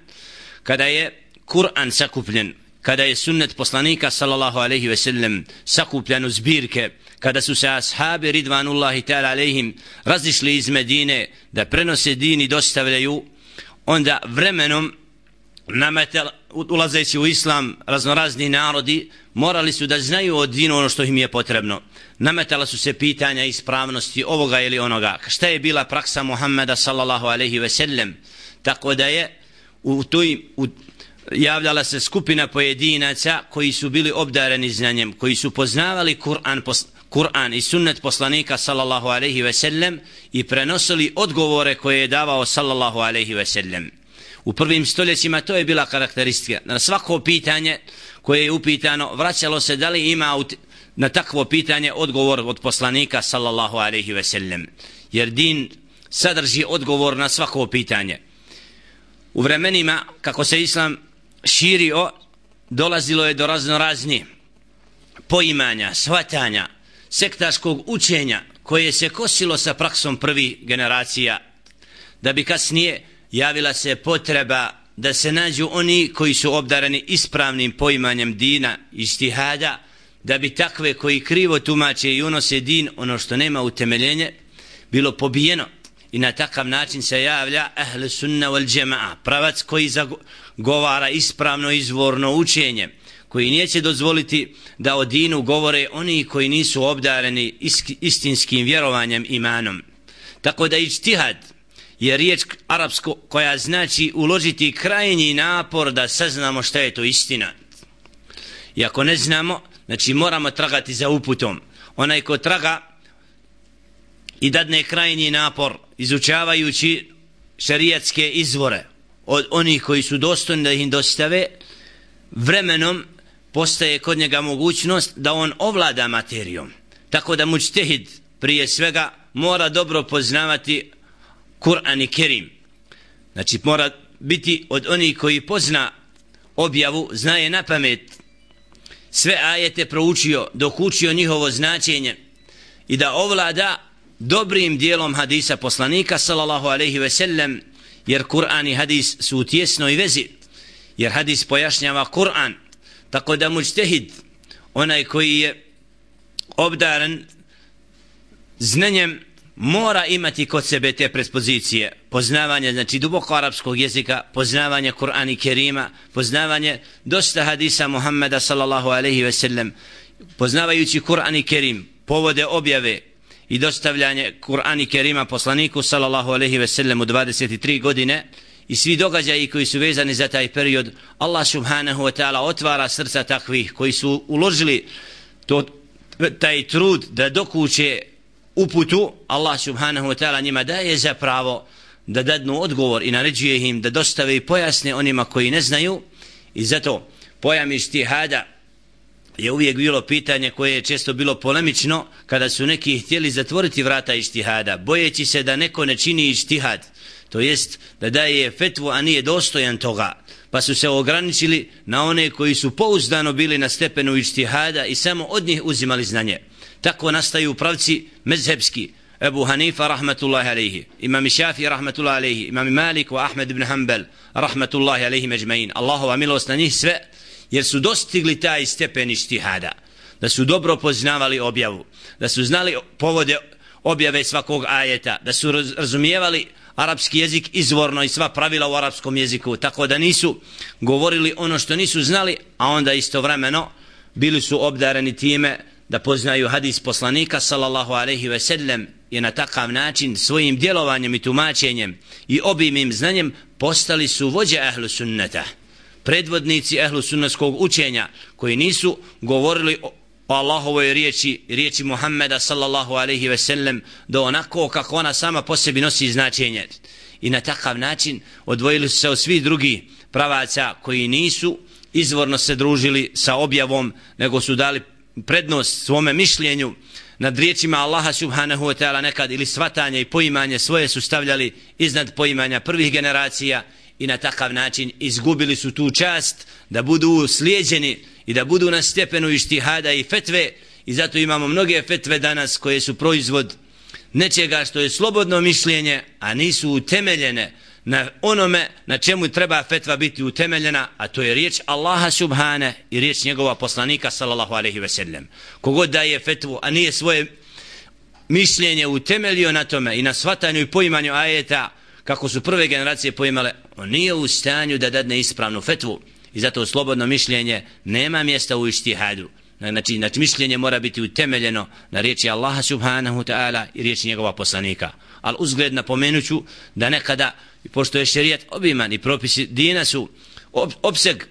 Speaker 5: kada je Kur'an sakupljen, kada je sunnet poslanika sallallahu alejhi ve sellem sakupljen u zbirke, kada su se ashabi ridvanullahi ta'ala alejhim razišli iz Medine da prenose din i dostavljaju, onda vremenom nametal, ulazeći u islam raznorazni narodi morali su da znaju od dinu ono što im je potrebno. Nametala su se pitanja ispravnosti ovoga ili onoga. Šta je bila praksa Muhammeda sallallahu alejhi ve sellem? Tako da je u toj u, javljala se skupina pojedinaca koji su bili obdareni znanjem, koji su poznavali Kur'an pos, Kur'an i sunnet poslanika sallallahu alejhi ve sellem i prenosili odgovore koje je davao sallallahu alejhi ve sellem. U prvim stoljećima to je bila karakteristika. Na svako pitanje koje je upitano vraćalo se da li ima na takvo pitanje odgovor od poslanika sallallahu alejhi ve sellem. Jer din sadrži odgovor na svako pitanje. U vremenima kako se islam širio, dolazilo je do raznorazni poimanja, shvatanja, sektaškog učenja koje se kosilo sa praksom prvih generacija, da bi kasnije javila se potreba da se nađu oni koji su obdareni ispravnim poimanjem dina i ijtihada, da bi takve koji krivo tumače i unose din, ono što nema utemeljenje, bilo pobijeno. I na takav način se javlja ahl sunna wal jamaa, pravac koji zagovara ispravno izvorno učenje, koji neće dozvoliti da o dinu govore oni koji nisu obdareni istinskim vjerovanjem, imanom. Tako da ijtihad je riječ arapsko koja znači uložiti krajnji napor da saznamo šta je to istina. I ako ne znamo, znači moramo tragati za uputom. Onaj ko traga i dadne krajnji napor izučavajući šerijatske izvore od onih koji su dostojni da ih dostave, vremenom postaje kod njega mogućnost da on ovlada materijom. Tako da mučtehid prije svega mora dobro poznavati Kur'an i Kerim. Znači mora biti od onih koji pozna objavu, znaje na pamet sve ajete, proučio, dok učio njihovo značenje i da ovlada dobrim dijelom hadisa poslanika sallallahu alejhi ve sellem, jer Kur'an i hadis su u tjesnoj vezi, jer hadis pojašnjava Kur'an. Tako da mučtehid, onaj koji je obdaren znanjem, mora imati kod sebe te predispozicije, poznavanje, znači duboko arapskog jezika, poznavanje Kur'ana i Kerima, poznavanje dosta hadisa Muhammeda sallallahu alejhi ve sellem, poznavajući Kur'an i Kerim, povode objave i dostavljanje Kur'ana i Kerima poslaniku sallallahu alejhi ve sellem u dvadeset tri godine i svi događaji koji su vezani za taj period, Allah subhanahu wa ta'ala otvara srca takvih koji su uložili to, taj trud da dokuće uputu. Allah subhanahu wa ta'ala njima daje za pravo da dadnu odgovor i naređuje im da dostave i pojasne onima koji ne znaju. I zato pojam ijtihada je uvijek bilo pitanje koje je često bilo polemično kada su neki htjeli zatvoriti vrata ijtihada, bojeći se da neko ne čini ijtihad, to jest da daje fetvu a nije dostojan toga, pa su se ograničili na one koji su pouzdano bili na stepenu ijtihada i samo od njih uzimali znanje. Tako nastaju pravci mezhebski, Ebu Hanifa rahmatullahi alejhi, imam Šafii rahmatullahi alejhi, imam Malik wa Ahmed ibn Hanbal rahmatullahi alejhi ecmaîn. Allahova milost na njih sve, jer su dostigli taj stepen ijtihada, da su dobro poznavali objavu, da su znali povode objave svakog ajeta, da su razumijevali arapski jezik izvorno i sva pravila u arapskom jeziku, tako da nisu govorili ono što nisu znali, a onda istovremeno bili su obdareni time da poznaju hadis poslanika sallallahu alejhi ve sellem i na takav način svojim djelovanjem i tumačenjem i obimnim znanjem postali su vođe ahlu sunneta, predvodnici ahlu sunnetskog učenja, koji nisu govorili o o Allahovoj riječi, riječi Muhammeda sallallahu alejhi ve sellem do onako kako ona sama po sebi nosi značenje, i na takav način odvojili su se od svih drugih pravaca koji nisu izvorno se družili sa objavom, nego su dali prednost svome mišljenju nad riječima Allaha subhanahu wa ta'ala nekad, ili svatanje i poimanje svoje su stavljali iznad poimanja prvih generacija, i na takav način izgubili su tu čast da budu slijeđeni i da budu na stepenu ijtihada i fetve. I zato imamo mnoge fetve danas koje su proizvod nečega što je slobodno mišljenje, a nisu utemeljene na onome na čemu treba fetva biti utemeljena, a to je riječ Allaha subhane i riječ njegova poslanika sallallahu alejhi ve sellem. Kogod daje fetvu, a nije svoje mišljenje utemeljio na tome i na shvatanju i poimanju ajeta kako su prve generacije poimale, on nije u stanju da dadne ispravnu fetvu. I zato slobodno mišljenje nema mjesta u ijtihadu. Znači, znači mišljenje mora biti utemeljeno na riječi Allaha subhanahu ta'ala i riječi njegova poslanika. Ali uzgled napomenuću da nekada, pošto je šerijat obiman i propisi dina su ob, opseg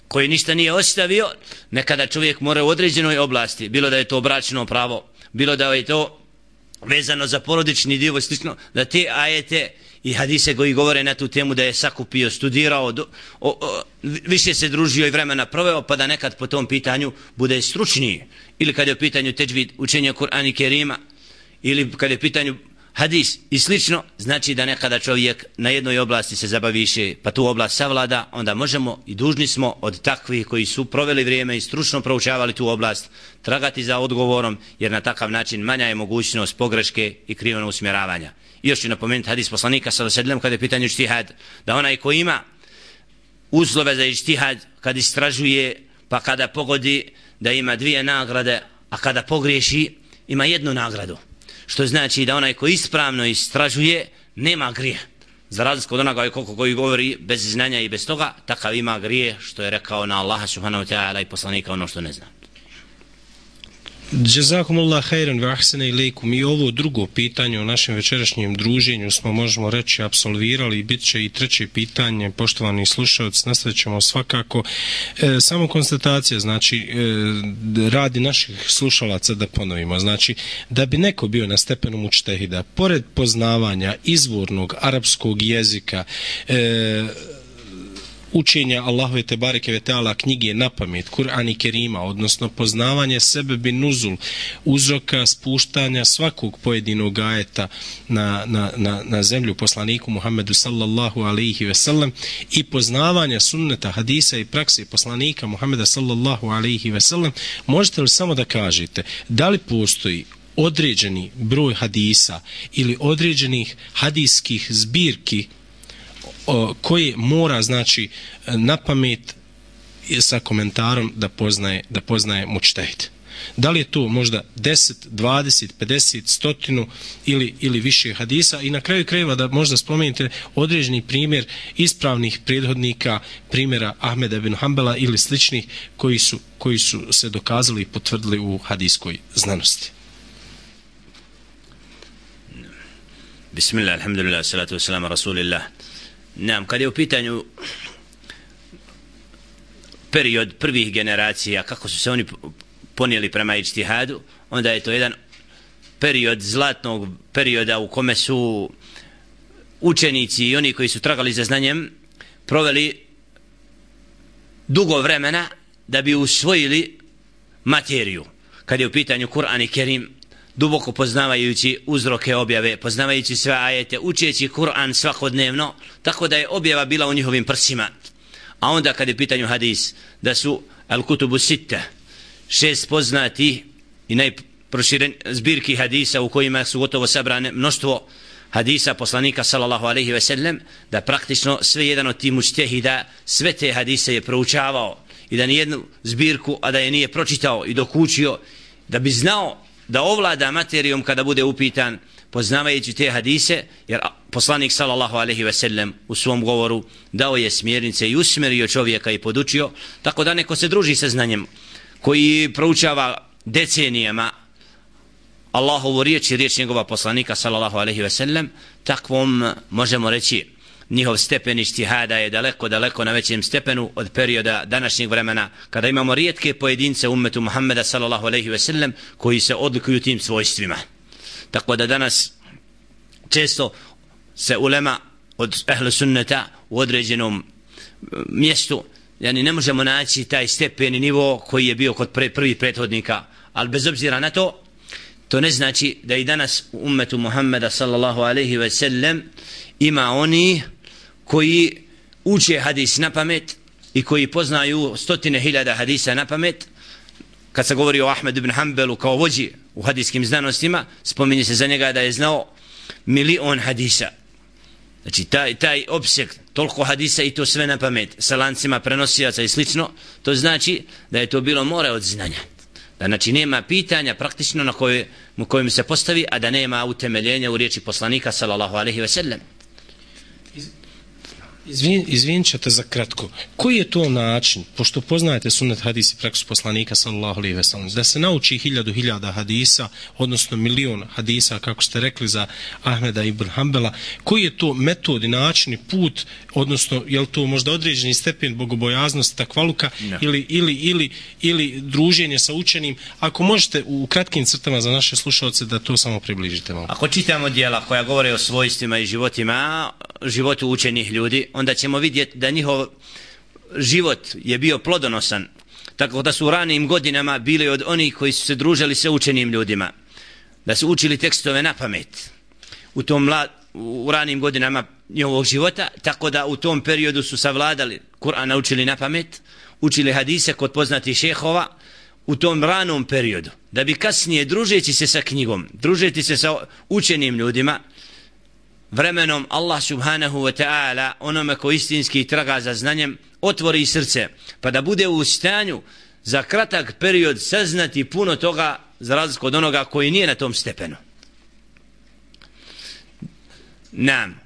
Speaker 5: koji ništa nije ostavio, nekada čovjek mora u određenoj oblasti, bilo da je to bračno pravo, bilo da je to vezano za porodični dio, slično, da te ajete i hadise koji govore na tu temu da je sakupio, studirao, do, o, o, više se družio i vremena proveo, pa da nekad po tom pitanju bude stručniji. Ili kad je u pitanju teđvid, učenje Kur'ana i Kerima, ili kad je u pitanju hadis i slično, znači da nekada čovjek na jednoj oblasti se zabavi više, pa tu oblast savlada, onda možemo i dužni smo od takvih koji su proveli vrijeme i stručno proučavali tu oblast tragati za odgovorom, jer na takav način manja je mogućnost pogreške i krivog usmjeravanja. I još ću napomenuti hadis poslanika sallallahu alejhi ve sellem kada je pitanje ijtihad, da onaj ko ima uslove za ijtihad, kad istražuje pa kada pogodi, da ima dvije nagrade, a kada pogriješi ima jednu nagradu. Što znači da onaj ko ispravno istražuje nema grije. Za razliku od onoga koliko koji govori bez znanja i bez toga, takav ima grije, što je rekao na Allaha subhanahu wa ta'ala i poslanika ono što ne zna.
Speaker 1: Jazakumullah khairan wa ahsana ilaykum. I ovo drugo pitanje u našem večerašnjem druženju smo, možemo reći, apsolvirali, i bit će i treće pitanje, poštovani slušalci, nastavit ćemo svakako. E, samo konstatacija, znači, e, radi naših slušalaca, da ponovimo, znači, da bi neko bio na stepenu mučtehida, pored poznavanja izvornog arapskog jezika, e, učenja Allahove tebareke ve taala knjige na pamet, Kur'an i Kerima, odnosno poznavanje sebe bi nuzul, uzroka spuštanja svakog pojedinog ajeta na, na, na, na zemlju poslaniku Muhammedu sallallahu alejhi ve sellem, i poznavanja sunneta, hadisa i prakse poslanika Muhammeda sallallahu alejhi ve sellem, možete li samo da kažete da li postoji određeni broj hadisa ili određenih hadijskih zbirki koje mora, znači, na pamet sa komentarom da poznaje, da poznaje mučtehid? Da li je to možda deset, dvadeset, pedeset, stotinu ili, ili više hadisa? I na kraju krajeva da možda spomenite određeni primjer ispravnih prethodnika, primjera Ahmeda ibn Hanbala ili sličnih koji su, koji su se dokazali i potvrdili u hadijskoj znanosti.
Speaker 5: Bismillah, alhamdulillah, salatu wassalamu rasulillah. Nam, kad je u pitanju period prvih generacija, kako su se oni ponijeli prema ijtihadu, onda je to jedan period zlatnog perioda u kome su učenici i oni koji su tragali za znanjem proveli dugo vremena da bi usvojili materiju. Kad je u pitanju Kur'an i Kerim, duboko poznavajući uzroke objave, poznavajući sve ajete, učeći Kur'an svakodnevno, tako da je objava bila u njihovim prsima. A onda kad je pitanju hadis, da su al-kutubu sitta, šest poznati i najpoznatiji proširen zbirki hadisa u kojima su gotovo sabrane mnoštvo hadisa poslanika sallallahu alejhi ve sellem, da praktično sve jedan od tih mučtehida sve te hadise je proučavao i da nijednu zbirku, a da je nije pročitao i dokučio, da bi znao da ovlada materijom kada bude upitan, poznavajući te hadise, jer poslanik sallallahu alejhi ve sellem u svom govoru dao je smjernice i usmjerio čovjeka i podučio, tako da neko se druži sa znanjem, koji proučava decenijama Allahovu riječ i riječ njegova poslanika sallallahu alejhi ve sellem, takvom možemo reći njihov stepen ištihada je daleko, daleko na većem stepenu od perioda današnjeg vremena, kada imamo rijetke pojedince u ummetu Muhammeda sallallahu alejhi ve sellem koji se odlikuju tim svojstvima. Tako da danas često se ulema od ehlu sunneta u određenom mjestu, yani ne možemo naći taj stepen i nivo koji je bio kod pre, prvih prethodnika, ali bez obzira na to, to ne znači da i danas u ummetu Muhammeda sallallahu alejhi ve sellem ima oni koji uče hadis na pamet i koji poznaju stotine hiljada hadisa na pamet. Kad se govori o Ahmed ibn Hanbelu kao vođi u hadijskim znanostima, spominje se za njega da je znao milion hadisa. Znači taj, taj opseg, toliko hadisa i to sve na pamet, sa lancima prenosilaca i slično, to znači da je to bilo more od znanja. Da znači nema pitanja praktično na koje, kojem se postavi, a da nema utemeljenja u riječi poslanika sallallahu alejhi ve sellem.
Speaker 1: Izvin, izvinit ćete za kratko. Koji je to način, pošto poznajete sunnet hadis i praksu poslanika sallallahu alejhi ve sellem, da se nauči hiljadu hiljada hadisa, odnosno milion hadisa, kako ste rekli za Ahmeda ibn Hanbela, koji je to metod i način i put, odnosno je li to možda određeni stepen bogobojaznosti, takvaluka, no. ili, ili, ili, ili druženje sa učenim? Ako možete u kratkim crtama za naše slušalce da to samo približite malo.
Speaker 5: Ako čitamo djela koja govore o svojstvima i životima, životu učenih ljudi, onda ćemo vidjeti da njihov život je bio plodonosan, tako da su u ranim godinama bili od onih koji su se družili sa učenim ljudima, da su učili tekstove na pamet u tom mlad, u ranim godinama njihovog života, tako da u tom periodu su savladali Kur'an, naučili na pamet, učili hadise kod poznatih šehova u tom ranom periodu, da bi kasnije družeći se sa knjigom, družeći se sa učenim ljudima, vremenom Allah subhanahu wa ta'ala onome ko istinski traga za znanjem otvori srce, pa da bude u stanju za kratak period saznati puno toga, za razliku od onoga koji nije na tom stepenu. Nam,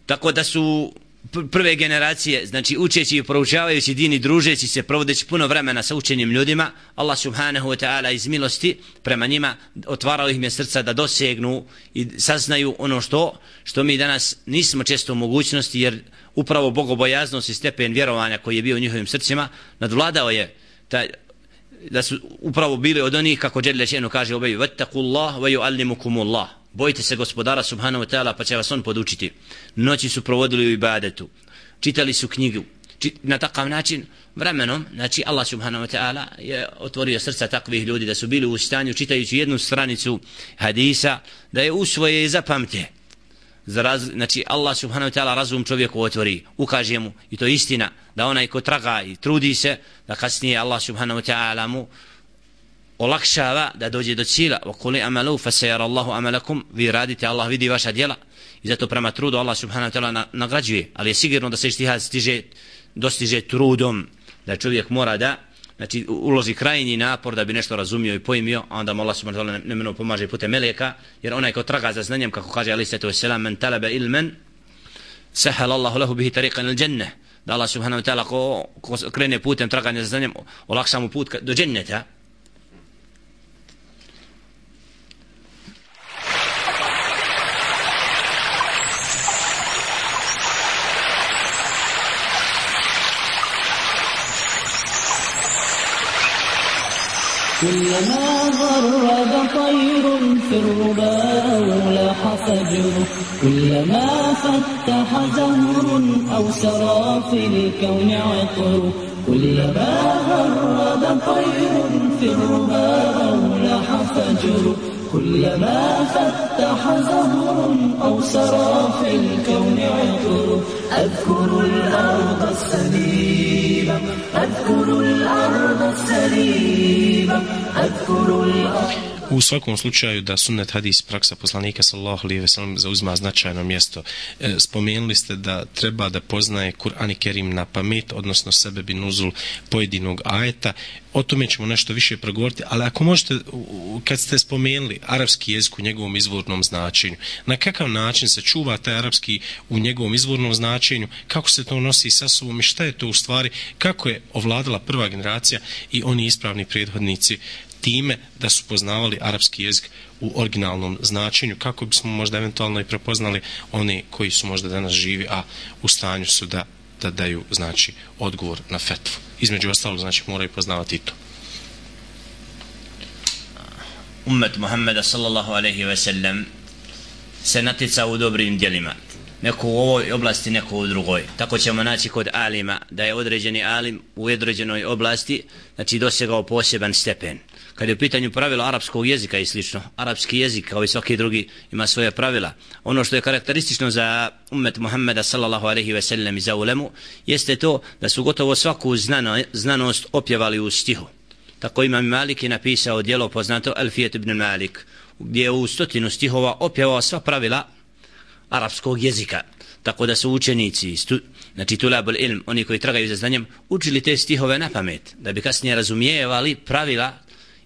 Speaker 5: tako da su prve generacije, znači učeći i proučavajući din i družeći se, provodeći puno vremena sa učenim ljudima, Allah subhanahu wa ta'ala iz milosti prema njima otvarao im je srca da dosegnu i saznaju ono što što mi danas nismo često u mogućnosti, jer upravo bogobojaznost i stepen vjerovanja koji je bio u njihovim srcima nadvladao je taj, da su upravo bili od onih, kako Đelle še'nu kaže obeju, vattakullah wa yu'allimukumullah, bojite se gospodara subhanahu wa ta'ala pa će vas on podučiti. Noći su provodili u ibadetu, čitali su knjigu, Čit, na takav način vremenom, znači Allah subhanahu wa ta'ala je otvorio srca takvih ljudi da su bili u stanju, čitajući jednu stranicu hadisa, da je usvoje i zapamte. Raz, znači Allah subhanahu wa ta'ala razum čovjeku otvori, ukaže mu, i to je istina, da onaj ko traga i trudi se, da kasnije Allah subhanahu wa ta'ala mu olakšava da dođe do cilja. Wa qul amalu fa sayara Allahu amalakum, vi radite, Allah vidi vaša djela, i zato prema trudu Allah subhanahu wa ta'ala nagrađuje, ali je sigurno da se ijtihad stiže, dostiže trudom, da čovjek mora da znači uloži krajnji napor da bi nešto razumio i pojmio, a onda mu Allah subhanahu wa ta'ala nemeno pomaže putem meleka, jer onaj ko traga za znanjem, kako kaže alejhi salatu vesselam, men talaba ilman sahala Allahu lahu bihi tariqan al jannah, da Allah subhanahu wa ta'ala ko, ko krene putem traganja za znanjem olakša mu put do dženneta.
Speaker 2: كلما غرد طير في الربا لاح فجره كلما فتح زهر أو سرى في الكون عطر كلما غرد طير في الربا لاح فجره كلما فتح زهر أو سرى في الكون عطر أذكر الأرض السليمة أذكر الأرض السليمة أذكر الأرض.
Speaker 1: U svakom slučaju da sunnet, hadis, praksa poslanika sallallahu alejhi ve sellem zauzima značajno mjesto. E, spomenuli ste da treba da poznaje Kur'an i Kerim na pamet, odnosno sebe nuzul pojedinog ajeta. O tome ćemo nešto više progovoriti, ali ako možete, kad ste spomenuli arapski jezik u njegovom izvornom značenju, na kakav način se čuva taj arapski u njegovom izvornom značenju, kako se to nosi sa sobom i šta je to u stvari, kako je ovladala prva generacija i oni ispravni prethodnici time da su poznavali arapski jezik u originalnom značenju, kako bismo možda eventualno i prepoznali oni koji su možda danas živi, a u stanju su da, da daju znači odgovor na fetvu. Između ostalog znači moraju poznavati i to.
Speaker 5: Ummet Muhammeda sallallahu alejhi ve sellem se natica u dobrim djelima. Neko u ovoj oblasti, neko u drugoj. Tako ćemo naći kod alima da je određeni alim u određenoj oblasti znači dosegao poseban stepen. Kad je u pitanju pravila arapskog jezika i slično, arapski jezik kao i svaki drugi ima svoje pravila. Ono što je karakteristično za ummet Muhammeda sallallahu alejhi ve sellem i za ulemu jeste to da su gotovo svaku znano, znanost opjevali u stihu. Tako Imam Malik je napisao djelo poznato Alfijet ibn Malik, gdje je u stotinu stihova opjevao sva pravila arapskog jezika. Tako da su učenici, stu, znači tulabul ilm, oni koji tragaju za znanjem, učili te stihove na pamet, da bi kasnije razumijevali pravila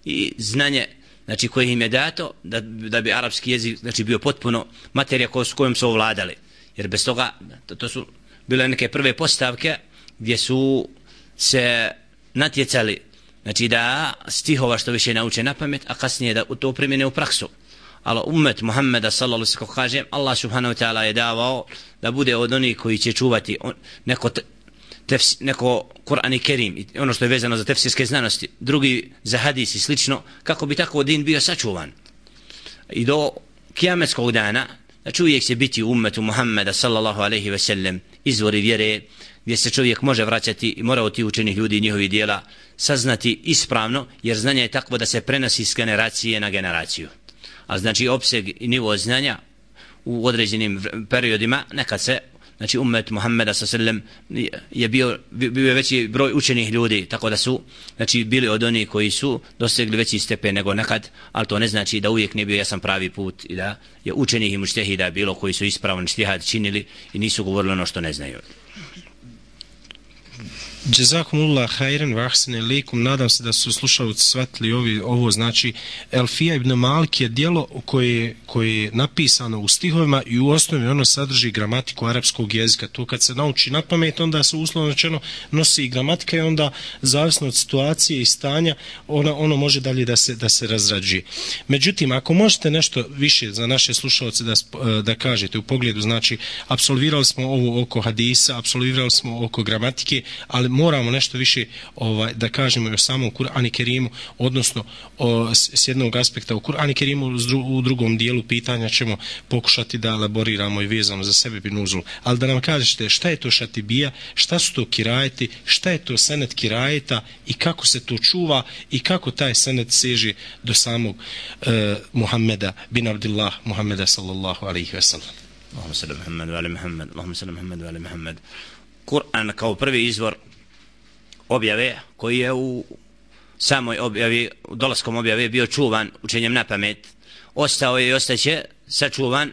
Speaker 5: i znanje znači koje im je dato da, da bi arapski jezik znači bio potpuno materija ko, s kojom su ovladali, jer bez toga to, to su bile neke prve postavke gdje su se natjecali znači da stihova što više nauče na pamet, a kasnije da to primjene u praksu. Ali ummet Muhammeda sallallahu alejhi ve sellem, kako kaže, Allah subhanahu wa ta'ala je davao da bude od onih koji će čuvati neko tefs, neko Kur'an i Kerim i ono što je vezano za tefsirske znanosti, drugi za hadis i slično, kako bi tako din bio sačuvan. I do kijametskog dana, znači uvijek će biti u ummetu Muhammeda sallallahu alejhi ve sellem izvori vjere gdje se čovjek može vraćati i mora od tih učenih ljudi i njihovih dijela saznati ispravno, jer znanje je takvo da se prenosi s generacije na generaciju. A znači opseg i nivo znanja u određenim periodima nekad se znači ummet Muhammeda sallallahu alejhi ve sellem je bio bio je veći broj učenih ljudi, tako da su znači bili od onih koji su dosegli veći stepen nego nekad, ali to ne znači da uvijek nije bio jasan pravi put i da je učenih i mučtehida bilo koji su ispravno štihad činili i nisu govorili ono što ne znaju.
Speaker 1: Jazakumullah khairan wa ahsana ilaykum. Nadam se da su slušalci shvatili ovi, ovo znači Elfija ibn Malik je djelo koje, koje je napisano u stihovima i u osnovi ono sadrži gramatiku arapskog jezika. To kad se nauči na pamet, onda se uslovno rečeno nosi i gramatika i onda zavisno od situacije i stanja ono, ono može dalje da se, da se razrađuje. Međutim, ako možete nešto više za naše slušalce da, da kažete u pogledu, znači apsolvirali smo ovo oko hadisa, apsolvirali smo oko gramatike, ali moramo nešto više ovaj, da kažemo o samom Kur'anu Kerimu, odnosno o, s, s jednog aspekta u Kur'anu Kerimu, u drugom dijelu pitanja ćemo pokušati da elaboriramo i vezano za sebe binuzul. Ali da nam kažete šta je to šatibija, šta su to kirajeti, šta je to senet kirajeta i kako se to čuva i kako taj senet seže do samog uh, Muhammeda bin Abdillah Muhammeda sallallahu alaihi ve sellem.
Speaker 5: Allahumma salli Muhammad wa ali Muhammad, Allahumma salli Muhammad wa ali Muhammad. Kur'an kao prvi izvor objave koji je u samoj objavi, u dolaskom objave bio čuvan učenjem na pamet, ostao je i ostaće sačuvan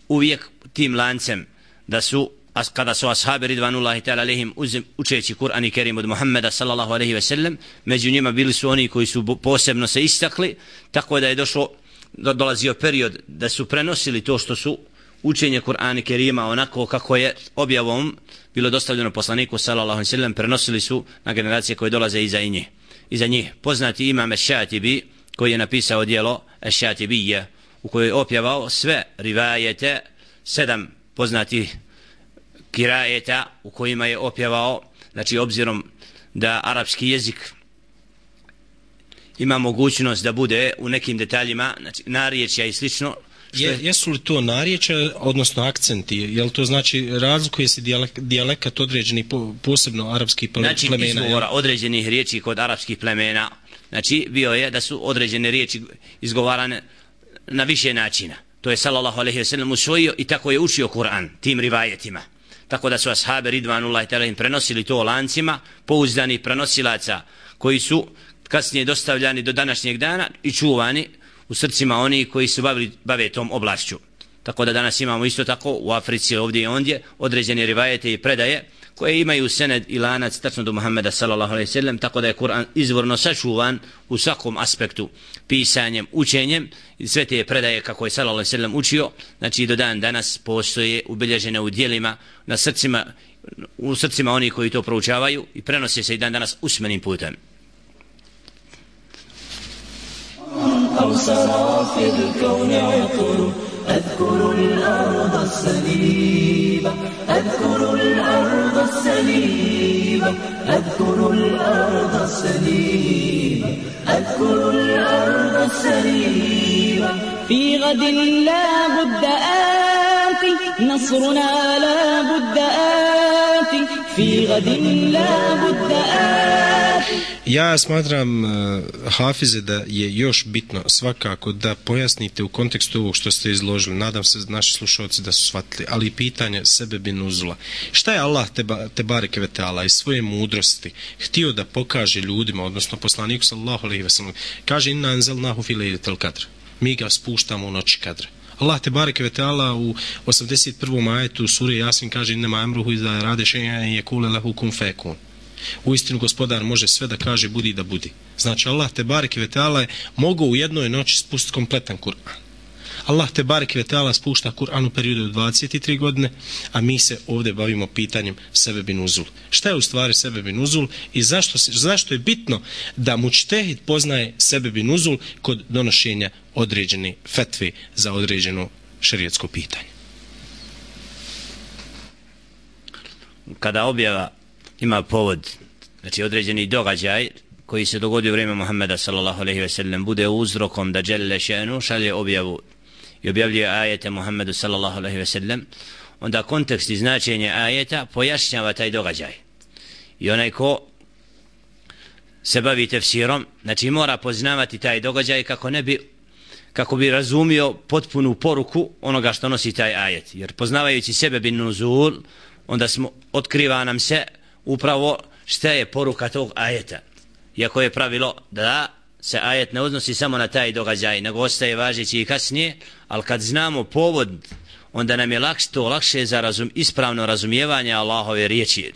Speaker 5: uvijek tim lancem da su, kada su ashabi ridvanullahi ta'ala alejhim učeći Kur'an i Kerim od Muhammeda sallallahu alejhi ve sellem, među njima bili su oni koji su posebno se istakli, tako da je došlo, dolazio period da su prenosili to što su učenje Kur'ana Kerima onako kako je objavom bilo dostavljeno poslaniku sallallahu alejhi ve sellem, prenosili su na generacije koje dolaze iza njih. Iza njih poznati imam Eš-Šatibi koji je napisao djelo Eš-Šatibije u kojoj je opjevao sve rivajete, sedam poznatih kirajeta u kojima je opjevao, znači obzirom da arapski jezik ima mogućnost da bude u nekim detaljima, znači narječja i slično.
Speaker 1: Je, jesu li to narječja, odnosno akcenti? Jel to znači razlikuje se dijalek, dijalekat određeni po, posebno arapskih plemena?
Speaker 5: Znači izgovora određenih riječi kod arapskih plemena, znači bio je da su određene riječi izgovarane na više načina. To je sallallahu alejhi ve sellem usvojio i tako je učio Kur'an tim rivajetima. Tako da su ashabi ridvanullahi ta'ala im prenosili to lancima pouzdanih prenosilaca koji su kasnije dostavljani do današnjeg dana i čuvani u srcima oni koji se bavili, bave tom oblašću. Tako da danas imamo isto tako u Africi ovdje i ondje određene rivajete i predaje koje imaju sened i lanac tačno do Muhammeda sallallahu alejhi ve sellem, tako da je Kur'an izvorno sačuvan u svakom aspektu, pisanjem, učenjem, i sve te predaje kako je sallallahu alejhi ve sellem učio, znači do dan danas postoje ubilježene u djelima na srcima, u srcima oni koji to proučavaju i prenose se i dan danas usmenim putem.
Speaker 2: أذكر الأرض السليبة أذكر الأرض السليبة أذكر الأرض السليبة أذكر الأرض السليبة في غد لا بد آتي نصرنا لا بد آتي في غد لا بد آتي.
Speaker 1: Ja smatram, uh, Hafize, da je još bitno svakako da pojasnite u kontekstu ovog što ste izložili. Nadam se naši slušalci da su shvatili, ali pitanje sebe bin nuzula. Šta je Allah teba, te bareke ve taala iz svoje mudrosti htio da pokaže ljudima, odnosno poslaniku sallallahu alejhi ve sellem? Kaže inna anzalnahu fi lejletil kadr. Mi ga spuštamo u noći kadra. Allah te bareke ve taala u osamdeset prvom ajetu sure Jasin kaže inna amruhu iza arada shay'an yaqulu lahu kun fayakun. Uistinu gospodar može sve da kaže budi da budi. Znači Allah te bareke ve taala je mogao u jednoj noći spustiti kompletan Kur'an. Allah te bareke ve taala spušta Kur'an u periodu od dvadeset tri godine, a mi se ovdje bavimo pitanjem sebebi nuzul. Šta je u stvari sebebi nuzul i zašto, zašto je bitno da mučtehid poznaje sebebi nuzul kod donošenja određene fetve za određeno šerijetsko pitanje?
Speaker 5: Kada objava ima povod, znači određeni događaj koji se dogodio u vrijeme Muhammeda sallallahu alejhi ve sellem bude uzrokom da dželle še'nu šalje objavu i objavljuje ajete Muhammedu sallallahu alejhi ve sellem, onda kontekst i značenje ajeta pojašnjava taj događaj. I onaj ko se bavi tefsirom, znači mora poznavati taj događaj kako ne bi kako bi razumio potpunu poruku onoga što nosi taj ajet. Jer poznavajući sebe bin nuzul, onda smo, otkriva nam se upravo šta je poruka tog ajeta. Iako je pravilo da se ajet ne odnosi samo na taj događaj, nego ostaje važeći i kasnije, ali kad znamo povod, onda nam je lakše to lakše za razum, ispravno razumijevanje Allahove riječi.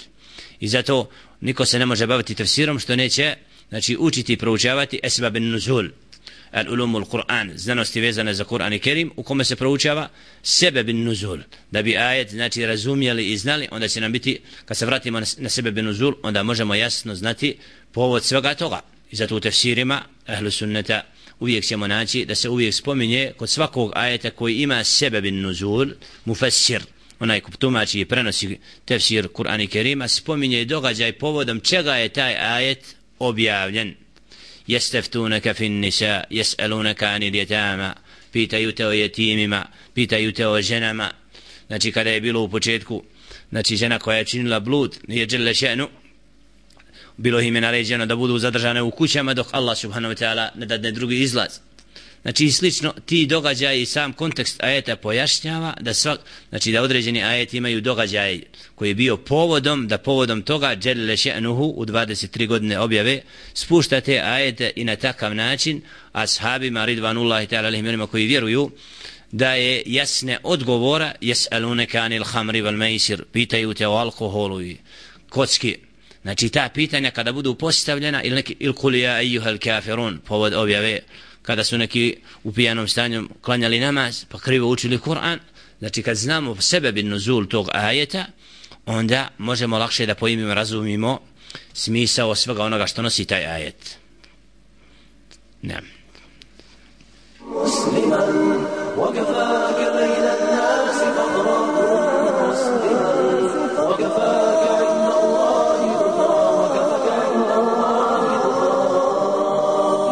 Speaker 5: I zato niko se ne može baviti tefsirom što neće, znači učiti i proučavati esbab nuzul, al-ulumul Kur'an, znanosti vezane za Kur'an i Kerim, u kome se proučava sebeb nuzul, da bi ajet znači razumjeli i znali, onda će nam biti, kad se vratimo na, na sebeb nuzul, onda možemo jasno znati povod svega toga. I zato u tefsirima ahlu sunneta uvijek ćemo naći da se uvijek spominje kod svakog ajeta koji ima sebeb nuzul, mufassir, onaj ko tumači i prenosi tefsir Kur'an i Kerima, spominje događaj povodom čega je taj ajet objavljen. Jesteftunaka fin nisa, jes'alunaka anil yatama, pitaju te o jetimima, pitaju te o ženama. Znači kada je bilo u početku, znači žena koja je činila blud, nije dželle še'nu, bilo im je naređeno da budu zadržane u kućama dok Allah subhanahu wa ta'ala ne dadne drugi izlaz. Znači i slično ti događaji i sam kontekst ajeta pojašnjava da svak, znači da određeni ajeti imaju događaj koji je bio povodom, da povodom toga dželle še'nuhu u dvadeset tri godine objave spušta te ajete i na takav način ashabima ridvanullahi ta'ala alejhim onima koji vjeruju da je jasne odgovora jes'alunaka anil khamri wal maisir, pitaju te o alkoholu i kocki. Znači ta pitanja kada budu postavljena ili neki il kul ja ejuhel kafirun, povod objave kada su neki u pijanom stanju klanjali namaz pa krivo učili Kur'an, znači kad znamo sebe bin nuzul tog ajeta, onda možemo lakše da pojmimo, razumimo smisao svega onoga što nosi taj ajet. Ne. Musliman وكفاك بين الناس فضرا مسلما وكفاك عند الله رضا وكفاك عند الله رضا.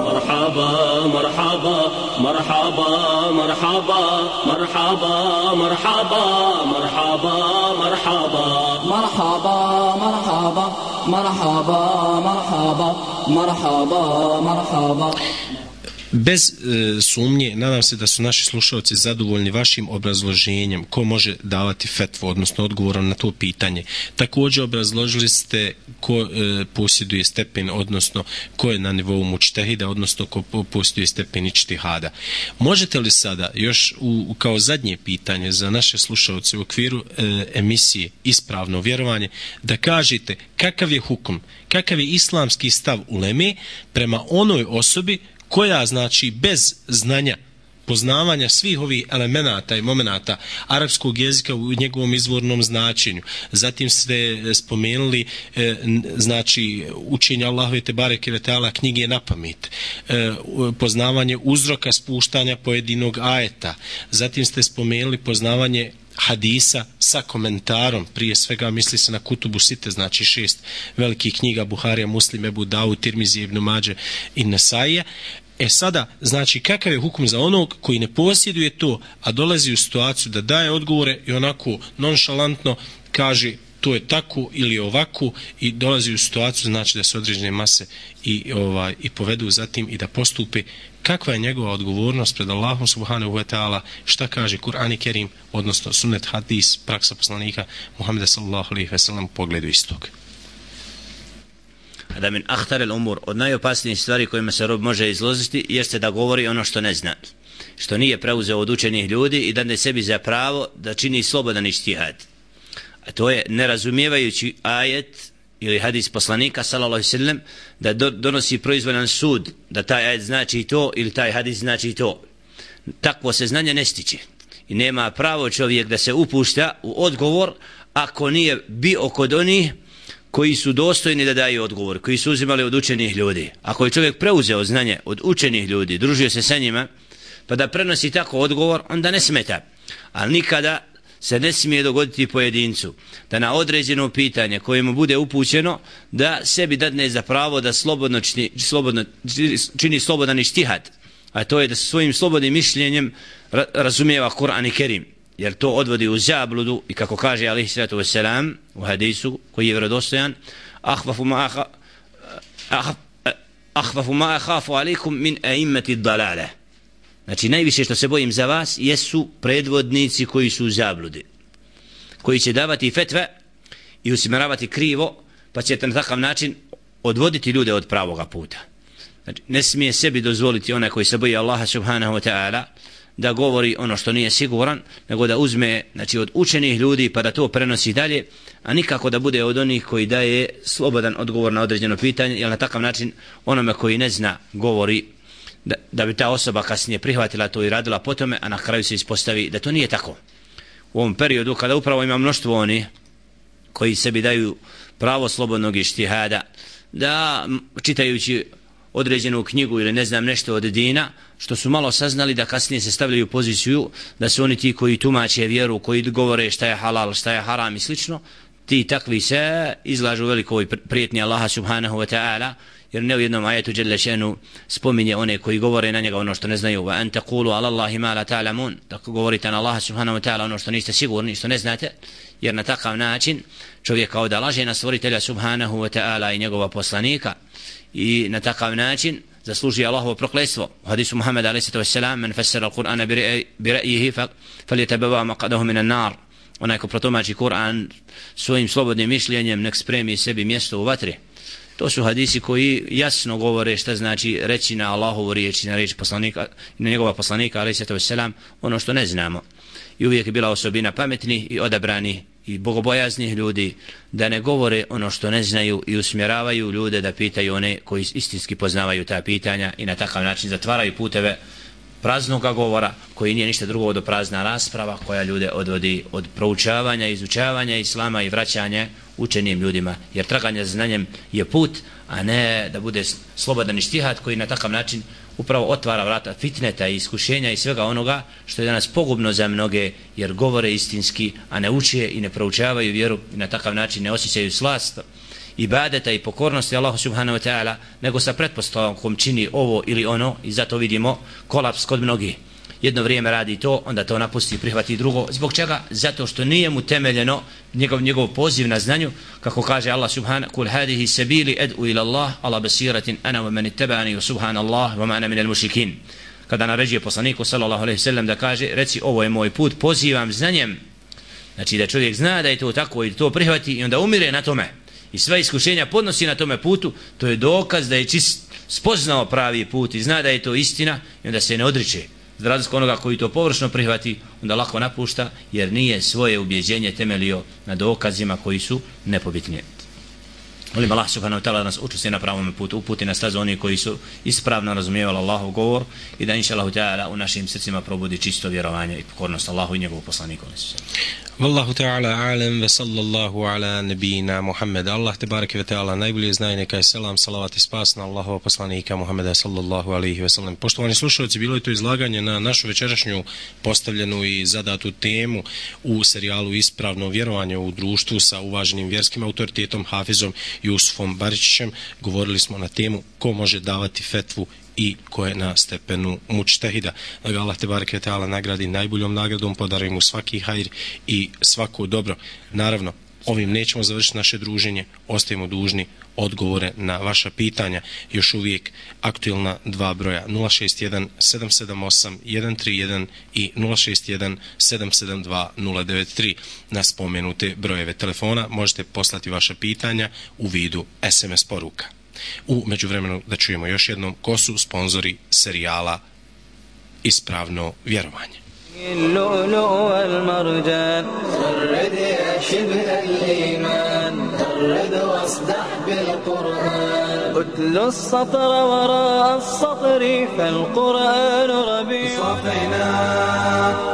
Speaker 5: مرحبا مرحبا مرحبا مرحبا مرحبا مرحبا مرحبا مرحبا
Speaker 2: مرحبا مرحبا مرحبا مرحبا مرحبا مرحبا.
Speaker 1: Bez e, sumnje, nadam se da su naši slušalci zadovoljni vašim obrazloženjem ko može davati fetvu, odnosno odgovorom na to pitanje. Također obrazložili ste ko e, posjeduje stepen, odnosno ko je na nivou mučtehida, odnosno ko posjeduje stepen ičtihada. Možete li sada još u, kao zadnje pitanje za naše slušalce u okviru e, emisije Ispravno vjerovanje da kažete kakav je hukum, kakav je islamski stav uleme prema onoj osobi koja znači bez znanja, poznavanja svih ovih elemenata i momenata arapskog jezika u njegovom izvornom značenju. Zatim ste spomenuli e, znači učenje Allahove te bareke ve taala knjige na pamet, e, poznavanje uzroka spuštanja pojedinog ajeta. Zatim ste spomenuli poznavanje hadisa sa komentarom, prije svega misli se na Kutubu Site, znači šest velikih knjiga Buharija, Muslim, Ebu Davud, Tirmizi, Ibn Mađe i Nesaija. E sada, znači kakav je hukum za onog koji ne posjeduje to, a dolazi u situaciju da daje odgovore i onako nonšalantno kaže to je tako ili ovako i dolazi u situaciju znači da se određene mase i, ovaj, i povedu zatim i da postupe. Kakva je njegova odgovornost pred Allahom subhanahu wa ta'ala, šta kaže Kur'an i Kerim, odnosno sunnet, hadis, praksa poslanika Muhammeda sallallahu alejhi ve sellem u pogledu istog?
Speaker 5: Da min ahtar el umur, od najopasnijih stvari kojima se rob može izložiti jeste da govori ono što ne zna, što nije preuzeo od učenih ljudi i da ne sebi za pravo da čini slobodan ištihad. A to je nerazumijevajući ajet ili hadis poslanika sallallahu alejhi ve sellem da do, donosi proizvoljan sud da taj ajet znači to ili taj hadis znači to. Takvo se znanje ne stiče i nema pravo čovjek da se upušta u odgovor ako nije bio kod onih koji su dostojni da daju odgovor, koji su uzimali od učenih ljudi. Ako je čovjek preuzeo znanje od učenih ljudi, družio se sa njima, pa da prenosi tako odgovor, onda ne smeta. Ali nikada se ne smije dogoditi pojedincu da na određeno pitanje koje mu bude upućeno da sebi dadne za pravo da slobodno čini, slobodno, čini slobodan ištihad, a to je da svojim slobodnim mišljenjem ra razumijeva Kur'an i Kerim, jer to odvodi u zabludu i kako kaže alejhi salatu vesselam u hadisu koji je vjerodostojan, ahvafu ma ahvafu ma akhafu alejkum min a'immati ad-dalale. Znači najviše što se bojim za vas jesu predvodnici koji su u zabludi, koji će davati fetve i usmjeravati krivo, pa ćete na takav način odvoditi ljude od pravoga puta. Znači ne smije sebi dozvoliti onaj koji se boji Allaha subhanahu wa ta'ala da govori ono što nije siguran, nego da uzme znači, od učenih ljudi pa da to prenosi dalje, a nikako da bude od onih koji daje slobodan odgovor na određeno pitanje, jer na takav način onome koji ne zna govori da, da bi ta osoba kasnije prihvatila to i radila po tome, a na kraju se ispostavi da to nije tako. U ovom periodu kada upravo ima mnoštvo oni koji sebi daju pravo slobodnog ištihada, da čitajući određenu knjigu ili ne znam nešto od dina, što su malo saznali da kasnije se stavljaju u poziciju da su oni ti koji tumače vjeru, koji govore šta je halal, šta je haram i slično, ti takvi se izlažu velikoj prijetnji Allaha subhanahu wa ta'ala, jer ne u jednom ajetu dželle šanu spominje one koji govore na njega ono što ne znaju, wa an taqulu ala Allahi ma la ta'lamun, tako govorite na Allaha subhanahu wa ta'ala ono što niste sigurni, što ne znate, jer na takav način čovjek kao da laže na stvoritelja subhanahu wa ta'ala i njegova poslanika i na takav način zasluži Allahovo prokletstvo. U hadisu Muhammeda alejhi salatu vesselam, men fassara al-Qur'ana bi ra'yihi falyatabawa maq'adahu min an-nar. Onaj ko protumači Kur'an svojim slobodnim mišljenjem nek spremi sebi mjesto u vatri. To su hadisi koji jasno govore šta znači reći na Allahovu riječ, na riječ poslanika, na njegova poslanika alejhi salatu vesselam ono što ne znamo. I uvijek je bila osobina pametnih i odabranih i bogobojaznih ljudi da ne govore ono što ne znaju i usmjeravaju ljude da pitaju one koji istinski poznavaju ta pitanja i na takav način zatvaraju puteve praznog govora koji nije ništa drugo do prazna rasprava koja ljude odvodi od proučavanja, izučavanja islama i vraćanja učenim ljudima, jer traganje znanjem je put, a ne da bude slobodan ištihad koji na takav način upravo otvara vrata fitneta i iskušenja i svega onoga što je danas pogubno za mnoge, jer govore istinski, a ne uče i ne proučavaju vjeru i na takav način ne osjećaju slast ibadeta i pokornosti Allahu subhanahu wa ta'ala, nego sa pretpostavkom čini ovo ili ono i zato vidimo kolaps kod mnogih. jedno vrijeme radi to, onda to napusti i prihvati drugo. Zbog čega? Zato što nije mu temeljeno njegov, njegov poziv na znanju, kako kaže Allah subhanahu kul hadihi sabili ad'u ila Allah ala basiratin ana wa man ittaba'ani wa subhanallah wa ma ana minal mushrikin. Kada naređuje poslaniku sallallahu alejhi ve sellem da kaže, reci ovo je moj put, pozivam znanjem. Znači da čovjek zna da je to tako i to prihvati i onda umire na tome. I sva iskušenja podnosi na tome putu, to je dokaz da je čist spoznao pravi put i zna da je to istina i onda se ne odriče. Za razliku onoga koji to površno prihvati, onda lako napušta jer nije svoje ubjeđenje temelio na dokazima koji su nepobitni. Molim Allah subhanahu wa ta'ala da nas učesti na pravom putu, uputi na stazu oni koji su ispravno razumijevali Allahov govor i da inša Allahu ta'ala u našim srcima probudi čisto vjerovanje i pokornost Allahu i njegovu poslaniku.
Speaker 1: Wallahu ta'ala alam ve sallallahu ala nabina Muhammed. Allah te bareke ve ta'ala najbolje zna, neka je selam, salavat i spas na Allahova poslanika Muhammeda sallallahu alejhi ve sellem. Poštovani slušalci, bilo je to izlaganje na našu večerašnju postavljenu i zadatu temu u serijalu Ispravno vjerovanje u društvu sa uvaženim vjerskim autoritetom Hafizom Jusufom Baričićem. Govorili smo na temu ko može davati fetvu i ko je na stepenu mučtehida. Da ga Allah te bareke ve ta'ala nagradi najboljom nagradom, podari mu svaki hajr i svako dobro. Naravno, ovim nećemo završiti naše druženje, ostajemo dužni odgovore na vaša pitanja. Još uvijek aktualna dva broja nula šest jedan sedam sedam osam jedan tri jedan i nula šest jedan sedam sedam dva nula devet tri. Na spomenute brojeve telefona možete poslati vaša pitanja u vidu es em es poruka. U međuvremenu da čujemo još jednom ko su sponzori serijala Ispravno vjerovanje.
Speaker 6: اللؤلؤ والمرجان غرد يا شبه الإيمان غرد واصدح بالقرآن اتل السطر وراء السطر فالقرآن ربيع صفينا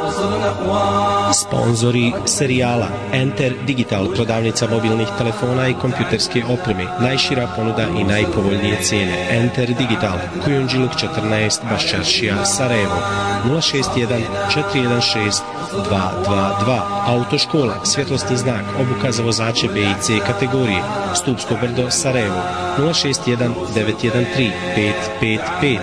Speaker 6: وصلنا قوام.
Speaker 1: Sponzori serijala Enter Digital, prodavnica mobilnih telefona i kompjuterske opreme, najšira ponuda i najpovoljnije cijene. Enter Digital, Kujundžiluk četrnaest, Baščaršija, Sarajevo, nula šest jedan četiri jedan šest dva dva dva. Autoškola, svjetlosni znak, obuka za vozače B i C kategorije, Stupsko brdo, Sarajevo, nula šest jedan devet jedan tri pet pet pet.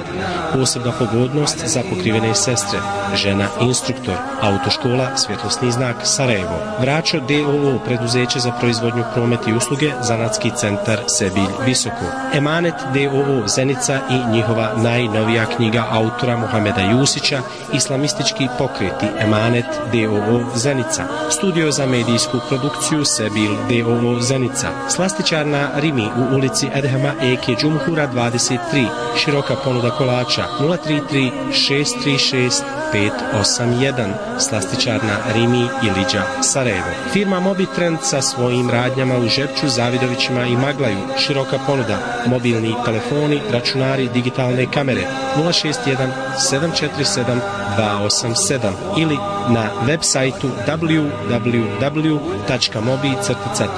Speaker 1: Posebna pogodnost za pokrivene sestre, žena instruktor. Autoškola, svjetlosni znak, Sarajevo. Vračo D O O, preduzeće za proizvodnju, promet i usluge, zanatski centar Sebilj Visoko. Emanet D O O, Zenica i njihova najnovija knjiga autora Muhameda Jusića, Islamistički pokreti, Emanet D O O, Zenica. Studio za medijsku produkciju Sebilj D O O, Zenica. Slastičarna Rimi u ulici Edhema Eke Džumhura dvadeset tri. Široka ponuda kolača nula tri tri šest tri šest pet osam jedan. Slastičarna Rimi i Liđa, Sarajevo. Firma Mobitrend sa svojim radnjama u Žepču, Zavidovićima i Maglaju. Široka ponuda, mobilni telefoni, računari, digitalne kamere nula šest jedan sedam četiri sedam dva osam sedam ili na web sajtu w w w tačka mobi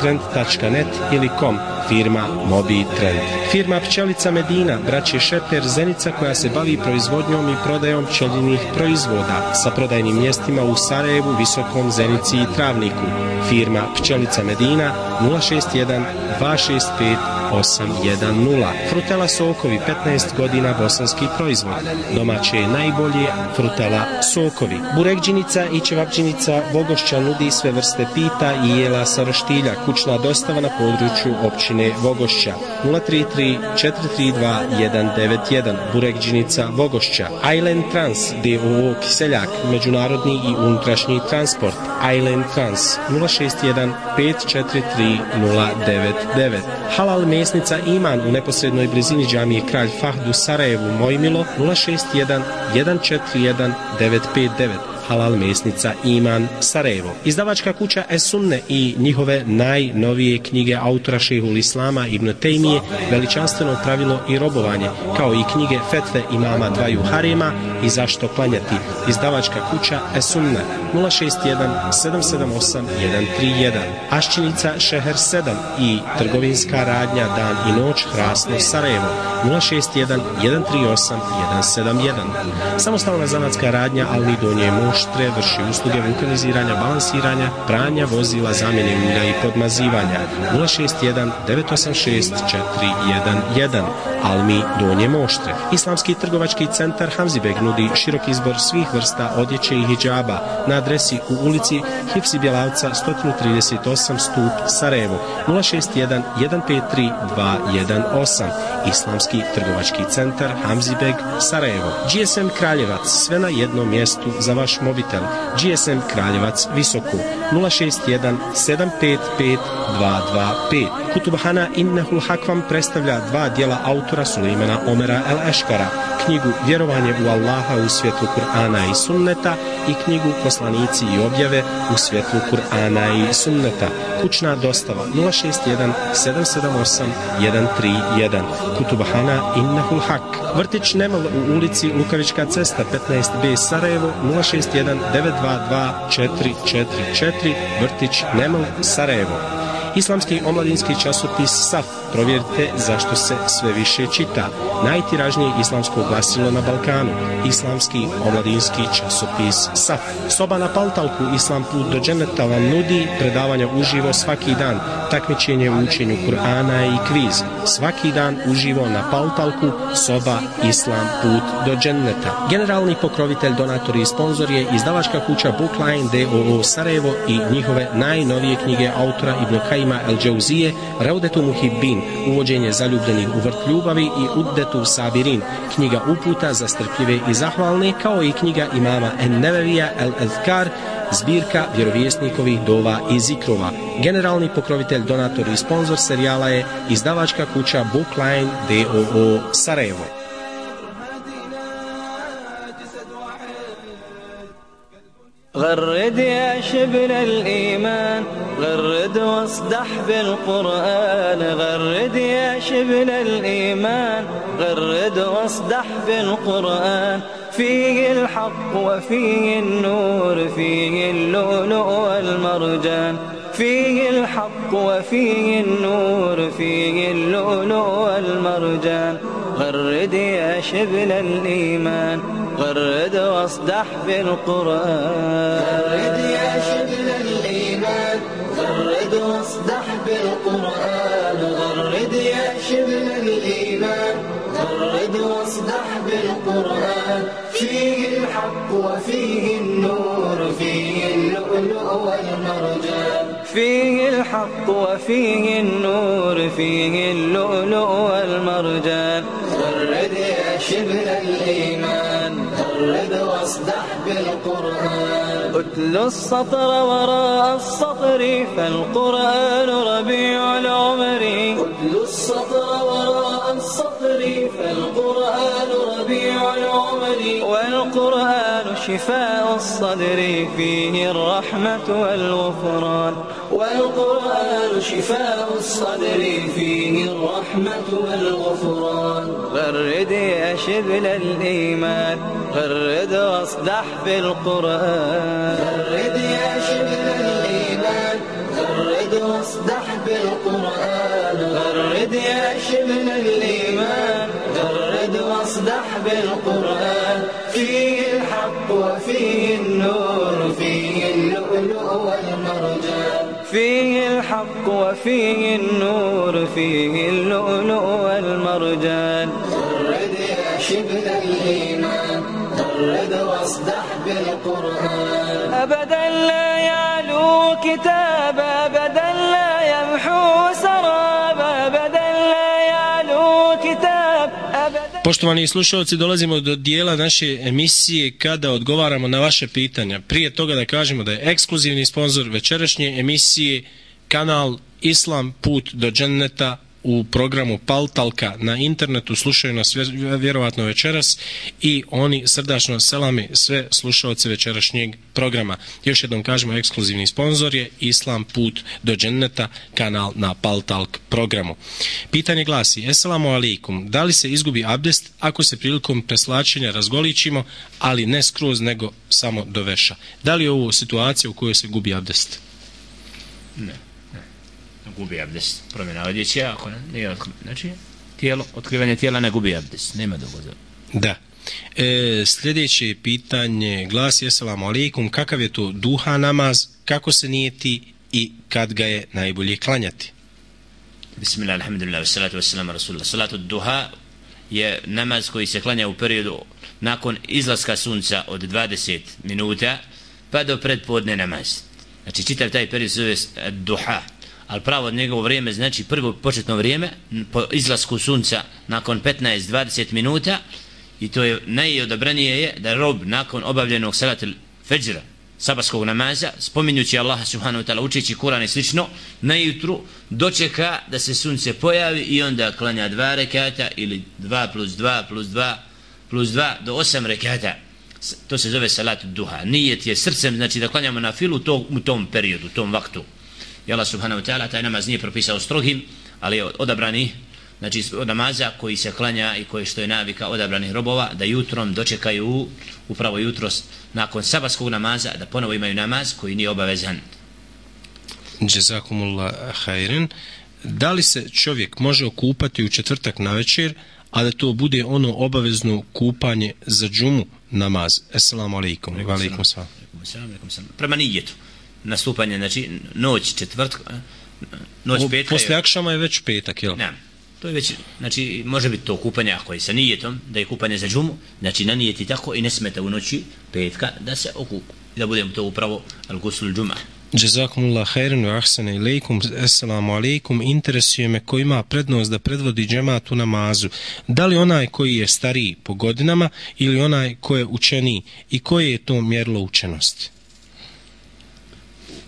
Speaker 1: trend tačka net ili com. Firma Mobitrend. Firma Pčelica Medina, braće Šeper, Zenica, koja se bavi proizvodnjom i prodajom pčelinjih proizvoda sa prodajnim mjestima u Sarajevu, Visokom, Zenici i Travniku. Firma Pčelica Medina nula šest jedan dva šest pet osam jedan nula. Frutela sokovi, petnaest godina, bosanski proizvod. Domaće je najbolje Frutela sokovi. Burekđinica i ćevapđinica Vogošća nudi sve vrste pita i jela sa roštilja. Kućna dostava na području općine Vogošća nula tri tri četiri tri dva jedan devet jedan. Burekđinica Vogošća. Island Trans D O O Kiseljak, međunarodni i unutrašnji transport. Island Trans nula šest jedan pet četiri tri nula devet devet. Halal mesnica Iman u neposrednoj blizini džamije Kralj Fahd u Sarajevu, Mojmilo nula šest jedan jedan četiri jedan devet pet devet. Halal mesnica Iman, Sarajevo. Izdavačka kuća Es-Sunne i njihove najnovije knjige autora Šejhul Islama Ibn Tejmije, Veličanstveno pravilo i robovanje, kao i knjige Fetve imama dvaju harema i Zašto klanjati. Izdavačka kuća Es-Sunne nula šest jedan sedam sedam osam jedan tri jedan. Aščinica Šeher sedam i trgovinska radnja Dan i noć, Hrasno, Sarajevo nula šest jedan jedan tri osam jedan sedam jedan. Samostalna zanatska radnja Alni Donje Moš, moštre, vrši usluge vulkaniziranja, balansiranja, pranja vozila, zamjene ulja i podmazivanja. nula šest jedan devet osam šest četiri jedan jedan. Almi Donje Moštre. Islamski trgovački centar Hamzibeg nudi širok izbor svih vrsta odjeće i hidžaba na adresi u ulici Hifsi Bjelavca sto trideset osam Stup, Sarajevo. nula šest jedan jedan pet tri dva jedan osam. Islamski trgovački centar Hamzibeg, Sarajevo. G S M Kraljevac, sve na jednom mjestu za vaš mobitel. G S M Kraljevac Visoku nula šest jedan sedam pet pet dva dva pet. Kutubhana Innehul Hak vam predstavlja dva dijela autora Sulejmana Omera El Eškara, knjigu Vjerovanje u Allaha u svjetlu Kur'ana i Sunneta i knjigu Poslanici i objave u svjetlu Kur'ana i Sunneta. Kućna dostava nula šest jedan sedam sedam osam jedan tri jedan. Kutubhana Innehul Hak. Vrtić Nemal u ulici Lukavička cesta petnaest B Sarajevo nula šest jedan devet dva dva četiri četiri četiri. Vrtić Nemal, Sarajevo. Islamski omladinski časopis Saf. Provjerite zašto se sve više čita. Najtiražnije islamsko glasilo na Balkanu. Islamski omladinski časopis Saf. Soba na Paltalku Islam put do dženeta vam nudi predavanja uživo svaki dan, takmičenje u učenju Kur'ana i kviz. Svaki dan uživo na Paltalku Soba Islam put do dženeta. Generalni pokrovitelj, donator i sponzor je izdavačka kuća Bookline d o o Sarajevo i njihove najnovije knjige autora Ibn Kajima El Džauzije, Raudetu Muhibbin, uvođenje zaljubljenih u vrt ljubavi i Uddetu Sabirin, knjiga uputa za strpljive i zahvalne, kao i knjiga imama En-Nevevija El Azkar, zbirka vjerovjesnikovih dova i zikrova. Generalni pokrovitelj, donator i sponzor serijala je izdavačka kuća Bookline d o o Sarajevo.
Speaker 6: غرد يا شبل الإيمان غرد واصدح بالقرآن غرد يا شبل الإيمان غرد واصدح بالقرآن فيه الحق وفيه النور فيه اللؤلؤ والمرجان فيه الحق وفيه النور فيه اللؤلؤ والمرجان غرد يا شبل الإيمان غرد واصدح بالقرآن غرد يا شبل الإيمان غرد واصدح بالقرآن غرد يا شبل الإيمان غرد واصدح بالقرآن فيه الحق وفيه النور فيه اللؤلؤ والمرجان فيه الحق وفيه النور فيه اللؤلؤ والمرجان غرد يا شبل الإيمان غرد واصدح بالقرآن اتل السطر وراء السطر فالقرآن ربيع العمر اتل السطر وراء السطر فالقرآن ربيع العمر والقرآن شفاء الصدر فيه الرحمة والغفران والقرآن شفاء الصدر فيه الرحمة والغفران غرد يا شبل الإيمان غرد واصدح بالقرآن غرد يا شبل الإيمان غرد واصدح بالقرآن غرد يا شبل الإيمان غرد واصدح بالقرآن فيه الحق وفيه النور فيه اللؤلؤ والمرجان فيه الحق وفيه النور فيه اللؤلؤ والمرجان غرد يا شبل الإيمان غرد واصدح بالقرآن أبدا لا يعلو كتاب أبدا لا يمحو سراب أبدا لا يعلو كتاب أبدا.
Speaker 1: Poštovani slušalci, dolazimo do dijela naše emisije kada odgovaramo na vaše pitanja. Prije toga da kažemo da je ekskluzivni sponzor večerašnje emisije kanal Islam put do dženneta u programu Paltalka na internetu. Slušaju nas vjerovatno večeras i oni srdačno selame sve slušalce večerašnjeg programa. Još jednom kažemo, ekskluzivni sponzor je Islam put do dženneta, kanal na Paltalk programu. Pitanje glasi: Esselamu alaikum, da li se izgubi abdest ako se prilikom preslačenja razgoličimo, ali ne skroz nego samo do veša? Da li je ovo situacija u kojoj se gubi abdest?
Speaker 5: Ne. Gubi abdest, promjena odjeće, ako ne, nije, znači, tijelo, otkrivanje tijela ne gubi abdest, nema dogoda.
Speaker 1: Da. E, sljedeće pitanje glasi: Assalamu alaikum, kakav je to duha namaz, kako se nijeti i kad ga je najbolje klanjati?
Speaker 5: Bismillah, alhamdulillah, wassalatu wassalamu rasulullah. Salatu duha je namaz koji se klanja u periodu nakon izlaska sunca od dvadeset minuta pa do predpodne namaz. Znači čitav taj period se zove duha, ali pravo od njegovo vrijeme znači prvo početno vrijeme po izlasku sunca nakon petnaest do dvadeset minuta, i to je najodabranije je da rob nakon obavljenog salatul fajra, sabatskog namaza, spominjući Allaha subhanahu wa ta'ala, učeći Kur'an i slično, na jutru dočeka da se sunce pojavi i onda klanja dva rekata ili dva plus dva plus dva plus dva do osam rekata. To se zove salat duha. Nijet je srcem, znači da klanjamo na filu to, u tom periodu, u tom vaktu. I Allah subhanahu wa ta'ala taj namaz nije propisao strogim, ali je odabrani, znači od namaza koji se klanja i koji što je navika odabranih robova, da jutrom dočekaju upravo jutro nakon sabatskog namaza da ponovo imaju namaz koji nije obavezan.
Speaker 1: Džezakumullah hajren. Da li se čovjek može okupati u četvrtak navečer, a da to bude ono obavezno kupanje za džumu namaz? Assalamu alaikum. Wa alaikum salam.
Speaker 5: Prema nijetu nastupanje, znači noć četvrtka, noć petka.
Speaker 1: Posle akšama je već petak, jel?
Speaker 5: Ne, to je već, znači može biti to kupanje ako je sa nijetom da je kupanje za džumu, znači na nijeti tako i ne smeta u noći petka da se okupa, da budemo to upravo al-gusul džuma.
Speaker 1: Jazakumullah khairan wa ahsana ilaykum. Assalamu alaikum. Interesuje me ko ima prednost da predvodi džemat u namazu. Da li onaj koji je stariji po godinama ili onaj koji je učeniji, i koje je to mjerilo učenosti?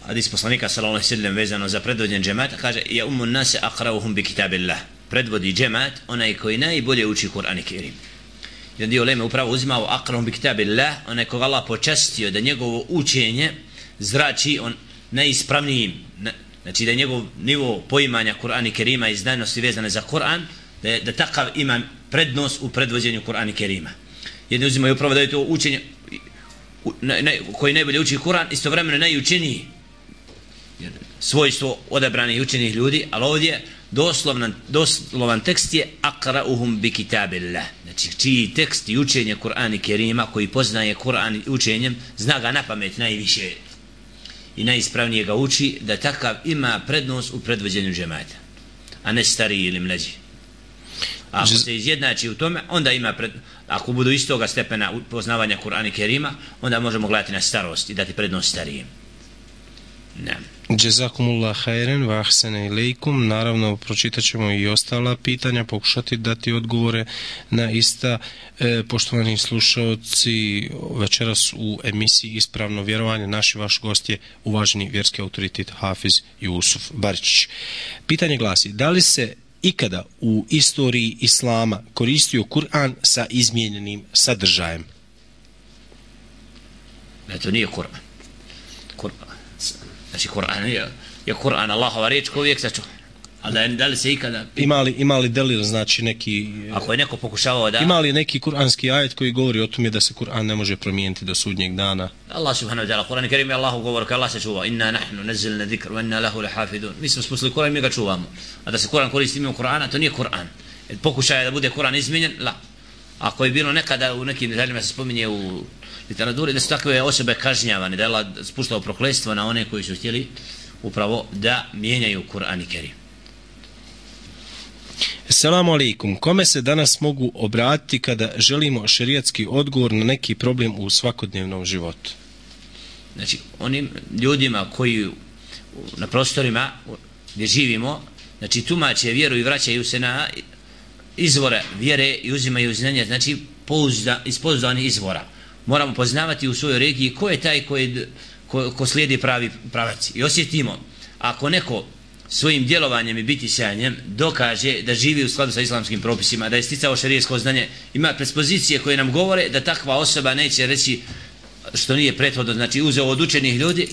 Speaker 5: Hadis poslanika sallallahu alejhi ve sellem vezano za predvođenje džemata kaže: "Ja ummun nas aqra'uhum bi kitabillah." Predvodi džemat onaj koji najbolje uči Kur'an i Kerim. Jedan dio uleme upravo uzimao aqra'uhum bi kitabillah, onaj koga Allah počastio da njegovo učenje zrači on najispravnijim, znači da je njegov nivo poimanja Kur'ana i Kerima i znanosti vezane za Kur'an, da, je, da takav ima prednost u predvođenju Kur'ana i Kerima. Jedni uzimaju upravo da je to učenje na, na, koji najbolje uči Kur'an, istovremeno najučeniji, svojstvo odabranih učenih ljudi, ali ovdje doslovan, doslovan tekst je aqra'uhum bi kitabillah, znači čiji tekst i učenje Kur'ana i Kerima, koji poznaje Kur'an učenjem, zna ga na pamet najviše i najispravnije ga uči, da takav ima prednost u predvođenju džemata, a ne stariji ili mlađi. A ako se izjednači u tome, onda ima pred... ako budu istoga stepena poznavanja Kur'ana i Kerima, onda možemo gledati na starost i dati prednost starijem. Ne.
Speaker 1: Jazakumullah khairan wa ahsana ilaykum. Naravno pročitat ćemo i ostala pitanja, pokušati dati odgovore na ista. E, poštovani slušalci, večeras u emisiji Ispravno vjerovanje naši vaš gost je uvaženi vjerski autoritet Hafiz Jusuf Baričić. Pitanje glasi: da li se ikada u istoriji islama koristio Kur'an sa izmijenjenim sadržajem?
Speaker 5: Ne, to nije Kur'an. Kur'an. Znači Kur'an je, je Kur'an Allahova riječ koji uvijek sačuva. Ali da, da li se ikada...
Speaker 1: Imali, imali delil, znači neki...
Speaker 5: Ako je neko pokušavao da...
Speaker 1: Imali neki kuranski ajet koji govori o tome da se Kur'an ne može promijeniti do sudnjeg dana?
Speaker 5: Allah subhanahu wa ta'ala, Kur'an i Kerim je Allahu govor, kada Allah se čuva: inna nahnu nazzalna dhikra wa inna lahu lahafidun. Mi smo spustili Kur'an i mi ga čuvamo. A da se Kur'an koristi mimo Kur'ana, to nije Kur'an. Pokušaj da bude Kur'an izmijenjen, la. Ako je bilo nekada u nekim detaljima se spominje u literaturi da su takve osobe kažnjavane, da je Allah spuštao prokletstvo na one koji su htjeli upravo da mijenjaju Kur'an i Kerim.
Speaker 1: Assalamu alaikum. Kome se danas mogu obratiti kada želimo šerijatski odgovor na neki problem u svakodnevnom životu?
Speaker 5: Znači, onim ljudima koji na prostorima gdje živimo, znači tumače vjeru i vraćaju se na izvore vjere i uzimaju znanje, znači pouzda, iz pouzdanih izvora. Moramo poznavati u svojoj regiji ko je taj koji, ko, ko slijedi pravi pravac. I osjetimo, ako neko svojim djelovanjem i bitisanjem dokaže da živi u skladu sa islamskim propisima, da je sticao šerijsko znanje, ima predispozicije koje nam govore da takva osoba neće reći što nije prethodno, znači uzeo od učenih ljudi.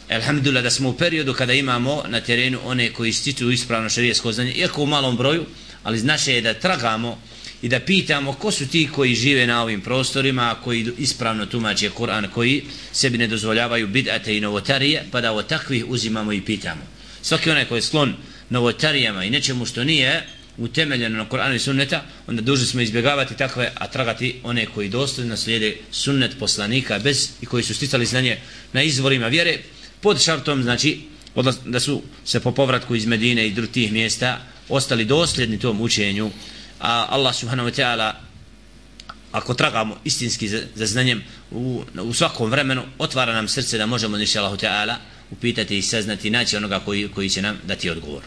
Speaker 5: Alhamdulillah da smo u periodu kada imamo na terenu one koji stiču ispravno šerijsko znanje, iako u malom broju, ali naše je da tragamo i da pitamo ko su ti koji žive na ovim prostorima, koji ispravno tumače Kur'an, koji sebi ne dozvoljavaju bid'ate i novotarije, pa da od takvih uzimamo i pitamo. Svaki onaj koji je sklon novotarijama i nečemu što nije utemeljeno na Kur'anu i sunneta, onda dužni smo izbjegavati takve, a tragati one koji dosljedno slijede sunnet poslanika bez i koji su sticali znanje na izvorima vjere pod šartom, znači da su se po povratku iz Medine i drugih mjesta ostali dosljedni tom učenju. A Allah subhanahu wa ta'ala, ako tragamo istinski za, za znanjem u, u svakom vremenu, otvara nam srce da možemo inša Allahu ta'ala upitati i saznati i naći onoga koji, koji će nam dati odgovor.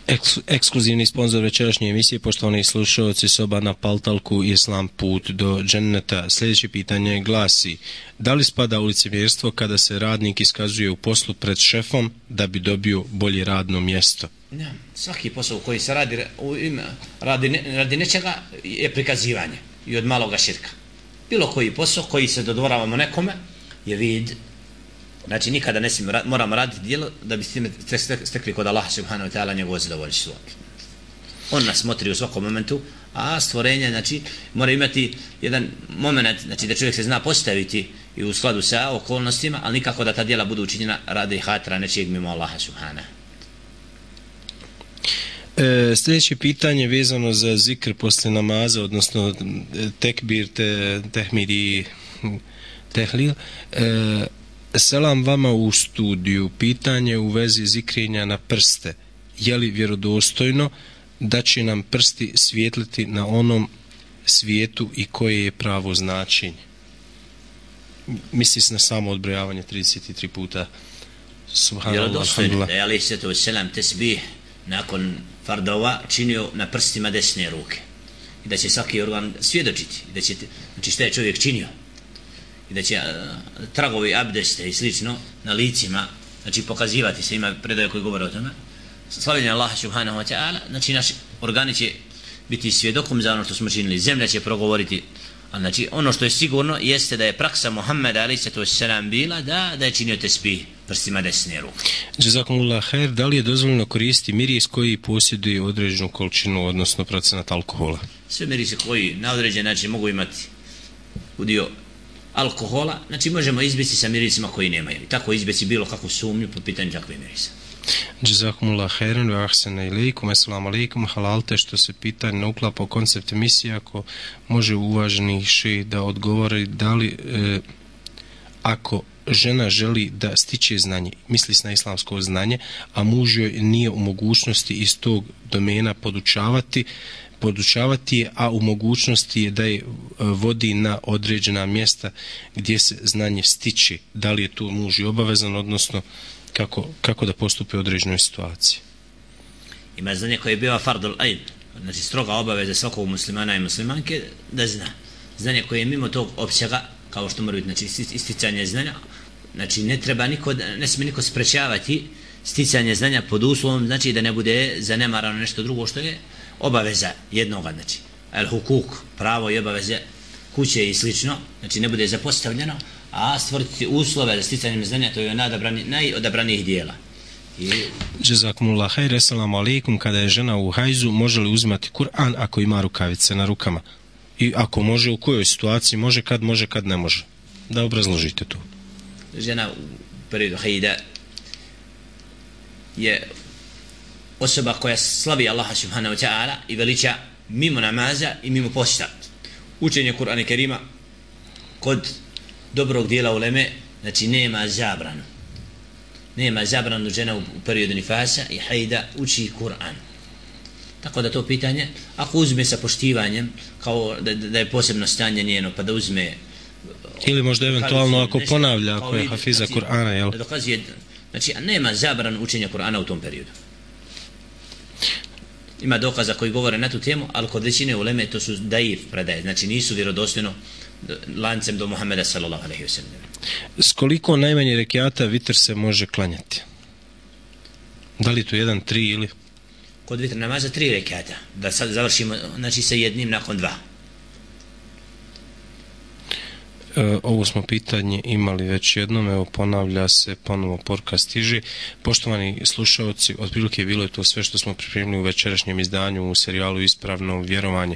Speaker 1: Eks, ekskluzivni sponzor večerašnje emisije, poštovani slušalci, soba na Paltalku Islam put do dženneta. Sljedeće pitanje glasi: da li spada u licemjerstvo kada se radnik iskazuje u poslu pred šefom da bi dobio bolje radno mjesto?
Speaker 5: Ja, svaki posao koji se radi, u ime, radi, ne, radi nečega je prikazivanje i od maloga širka. Bilo koji posao koji se dodvoravamo nekome je vid. Znači nikada ne smijemo, moramo raditi djelo da bi s time stekli kod Allaha subhanahu wa ta'ala njegovo zadovoljstvo. On nas motri u svakom momentu, a stvorenje, znači, mora imati jedan moment, znači da čovjek se zna postaviti i u skladu sa okolnostima, ali nikako da ta djela budu učinjena radi hatra nečijeg mimo Allaha subhanahu.
Speaker 1: E, sljedeće pitanje vezano za zikr posle namaza, odnosno tekbir, te, tehmid i tehlil. E, Selam vama u studiju. Pitanje u vezi zikrenja na prste. Je li vjerodostojno da će nam prsti svijetliti na onom svijetu i koje je pravo značenje? Misli se na samo odbrojavanje trideset tri puta. Subhanallah,
Speaker 5: vjerodostojno da je alejhi salatu vesselam tesbih nakon fardova činio na prstima desne ruke. I da će svaki organ svjedočiti. I da će, znači šta je čovjek činio. I da će uh, tragovi abdeste i slično na licima, znači pokazivati se, ima predaje koji govore o tome. Slavljenje Allaha subhanahu wa ta'ala, znači naši organi će biti svjedokom za ono što smo činili, zemlja će progovoriti. A znači ono što je sigurno jeste da je praksa Muhammeda alejhi salatu vesselam bila da, da je činio tesbih prstima desne ruke.
Speaker 1: Jazakumullah khair, da li je dozvoljeno koristiti miris koji posjeduje određenu količinu, odnosno procenat alkohola?
Speaker 5: Sve mirisi koji na određen način mogu imati udio alkohola, znači možemo izbjeći sa mirisima koji nemaju. I tako izbjeći bilo kakvu sumnju po pitanju takve mirisa.
Speaker 1: Jazakumullah khairan wa ahsana ilaykum. Assalamu alaikum. Halalte što se pitanje ne uklapa u koncept emisije, ako može uvaženi šejh da odgovori da li e, ako žena želi da stiče znanje, misli se na islamsko znanje, a muž joj nije u mogućnosti iz tog domena podučavati, podučavati je, a u mogućnosti je da je vodi na određena mjesta gdje se znanje stiče. Da li je tu muž i obavezan, odnosno kako, kako da postupi u određenoj situaciji?
Speaker 5: Ima znanje koje je bio fardul ain, znači stroga obaveza svakog muslimana i muslimanke da zna. Znanje koje je mimo tog opsega, kao što mora biti, znači isticanje znanja, znači ne treba niko, ne smije niko sprečavati sticanje znanja pod uslovom, znači da ne bude zanemarano nešto drugo što je obaveza jednoga, znači el hukuk, pravo i obaveze kuće i slično, znači ne bude zapostavljeno, a stvoriti uslove za sticanje znanja, to je najodabranijih dijela. I...
Speaker 1: Jazakumullah khair. Assalamu alaikum. Kada je žena u hajzu, može li uzimati Kur'an ako ima rukavice na rukama? I ako može, u kojoj situaciji može, kad može, kad ne može? Da obrazložite to.
Speaker 5: Žena u periodu hajda je osoba koja slavi Allaha subhanahu wa ta'ala i veliča mimo namaza i mimo posta. Učenje Kur'ana Kerima kod dobrog dijela uleme, znači nema zabranu. Nema zabranu žena u periodu nifasa i hajda uči Kur'an. Tako da to pitanje, ako uzme sa poštivanjem, kao da, da je posebno stanje njeno, pa da uzme...
Speaker 1: Ili možda eventualno ako nešto, ponavlja, ako je hafiza znači, Kur'ana, jel?
Speaker 5: Da dokazuje, znači nema zabranu učenja Kur'ana u tom periodu. Ima dokaza koji govore na tu temu, ali kod većine uleme to su daif predaje, znači nisu vjerodostojno lancem do Muhammeda sallallahu alejhi ve sellem.
Speaker 1: S koliko najmanje rekiata vitr se može klanjati? Da li to jedan, tri ili?
Speaker 5: Kod vitr namaza tri rekiata, da sad završimo, znači sa jednim nakon dva.
Speaker 1: Ovo smo pitanje imali već jednom, evo ponavlja se, ponovo poruka stiže. Poštovani slušalci, otprilike bilo je to sve što smo pripremili u večerašnjem izdanju u serijalu Ispravno vjerovanje.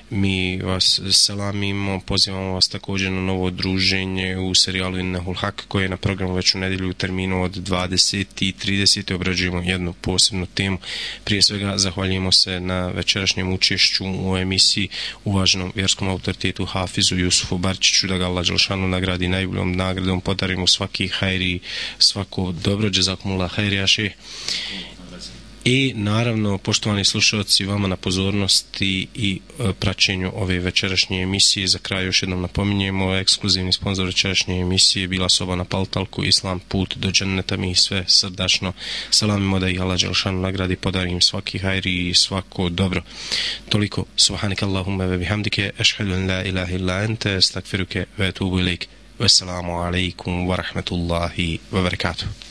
Speaker 1: Mi vas selamimo, pozivamo vas također na novo druženje u serijalu Innehul Hak, koje je na programu već u nedjelju u terminu od dvadeset i trideset. Obrađujemo jednu posebnu temu. Prije svega zahvaljujemo se na večerašnjem učešću u emisiji uvaženom vjerskom autoritetu Hafizu Jusufu Barčiću, da ga Allah Đelšanu nagradi najboljom nagradom, podari mu svaki hajri, svako dobro, džezakumullah hajrijaši. I naravno, poštovani slušalci, vama na pozornosti i e, praćenju ove večerašnje emisije. Za kraj još jednom napominjemo, ekskluzivni sponsor večerašnje emisije bila soba na Paltalku, Islam put do dženneta. Mi sve srdačno salamimo, da ih Allah Đelšanu nagradi, podari im svaki hajri i svako dobro. Toliko, subhanika Allahumma ve bihamdike, ešhedu en la ilaha illa ente, estakfiruke ve etubu ilik. Wassalamu alaikum wa rahmatullahi wa barakatuh.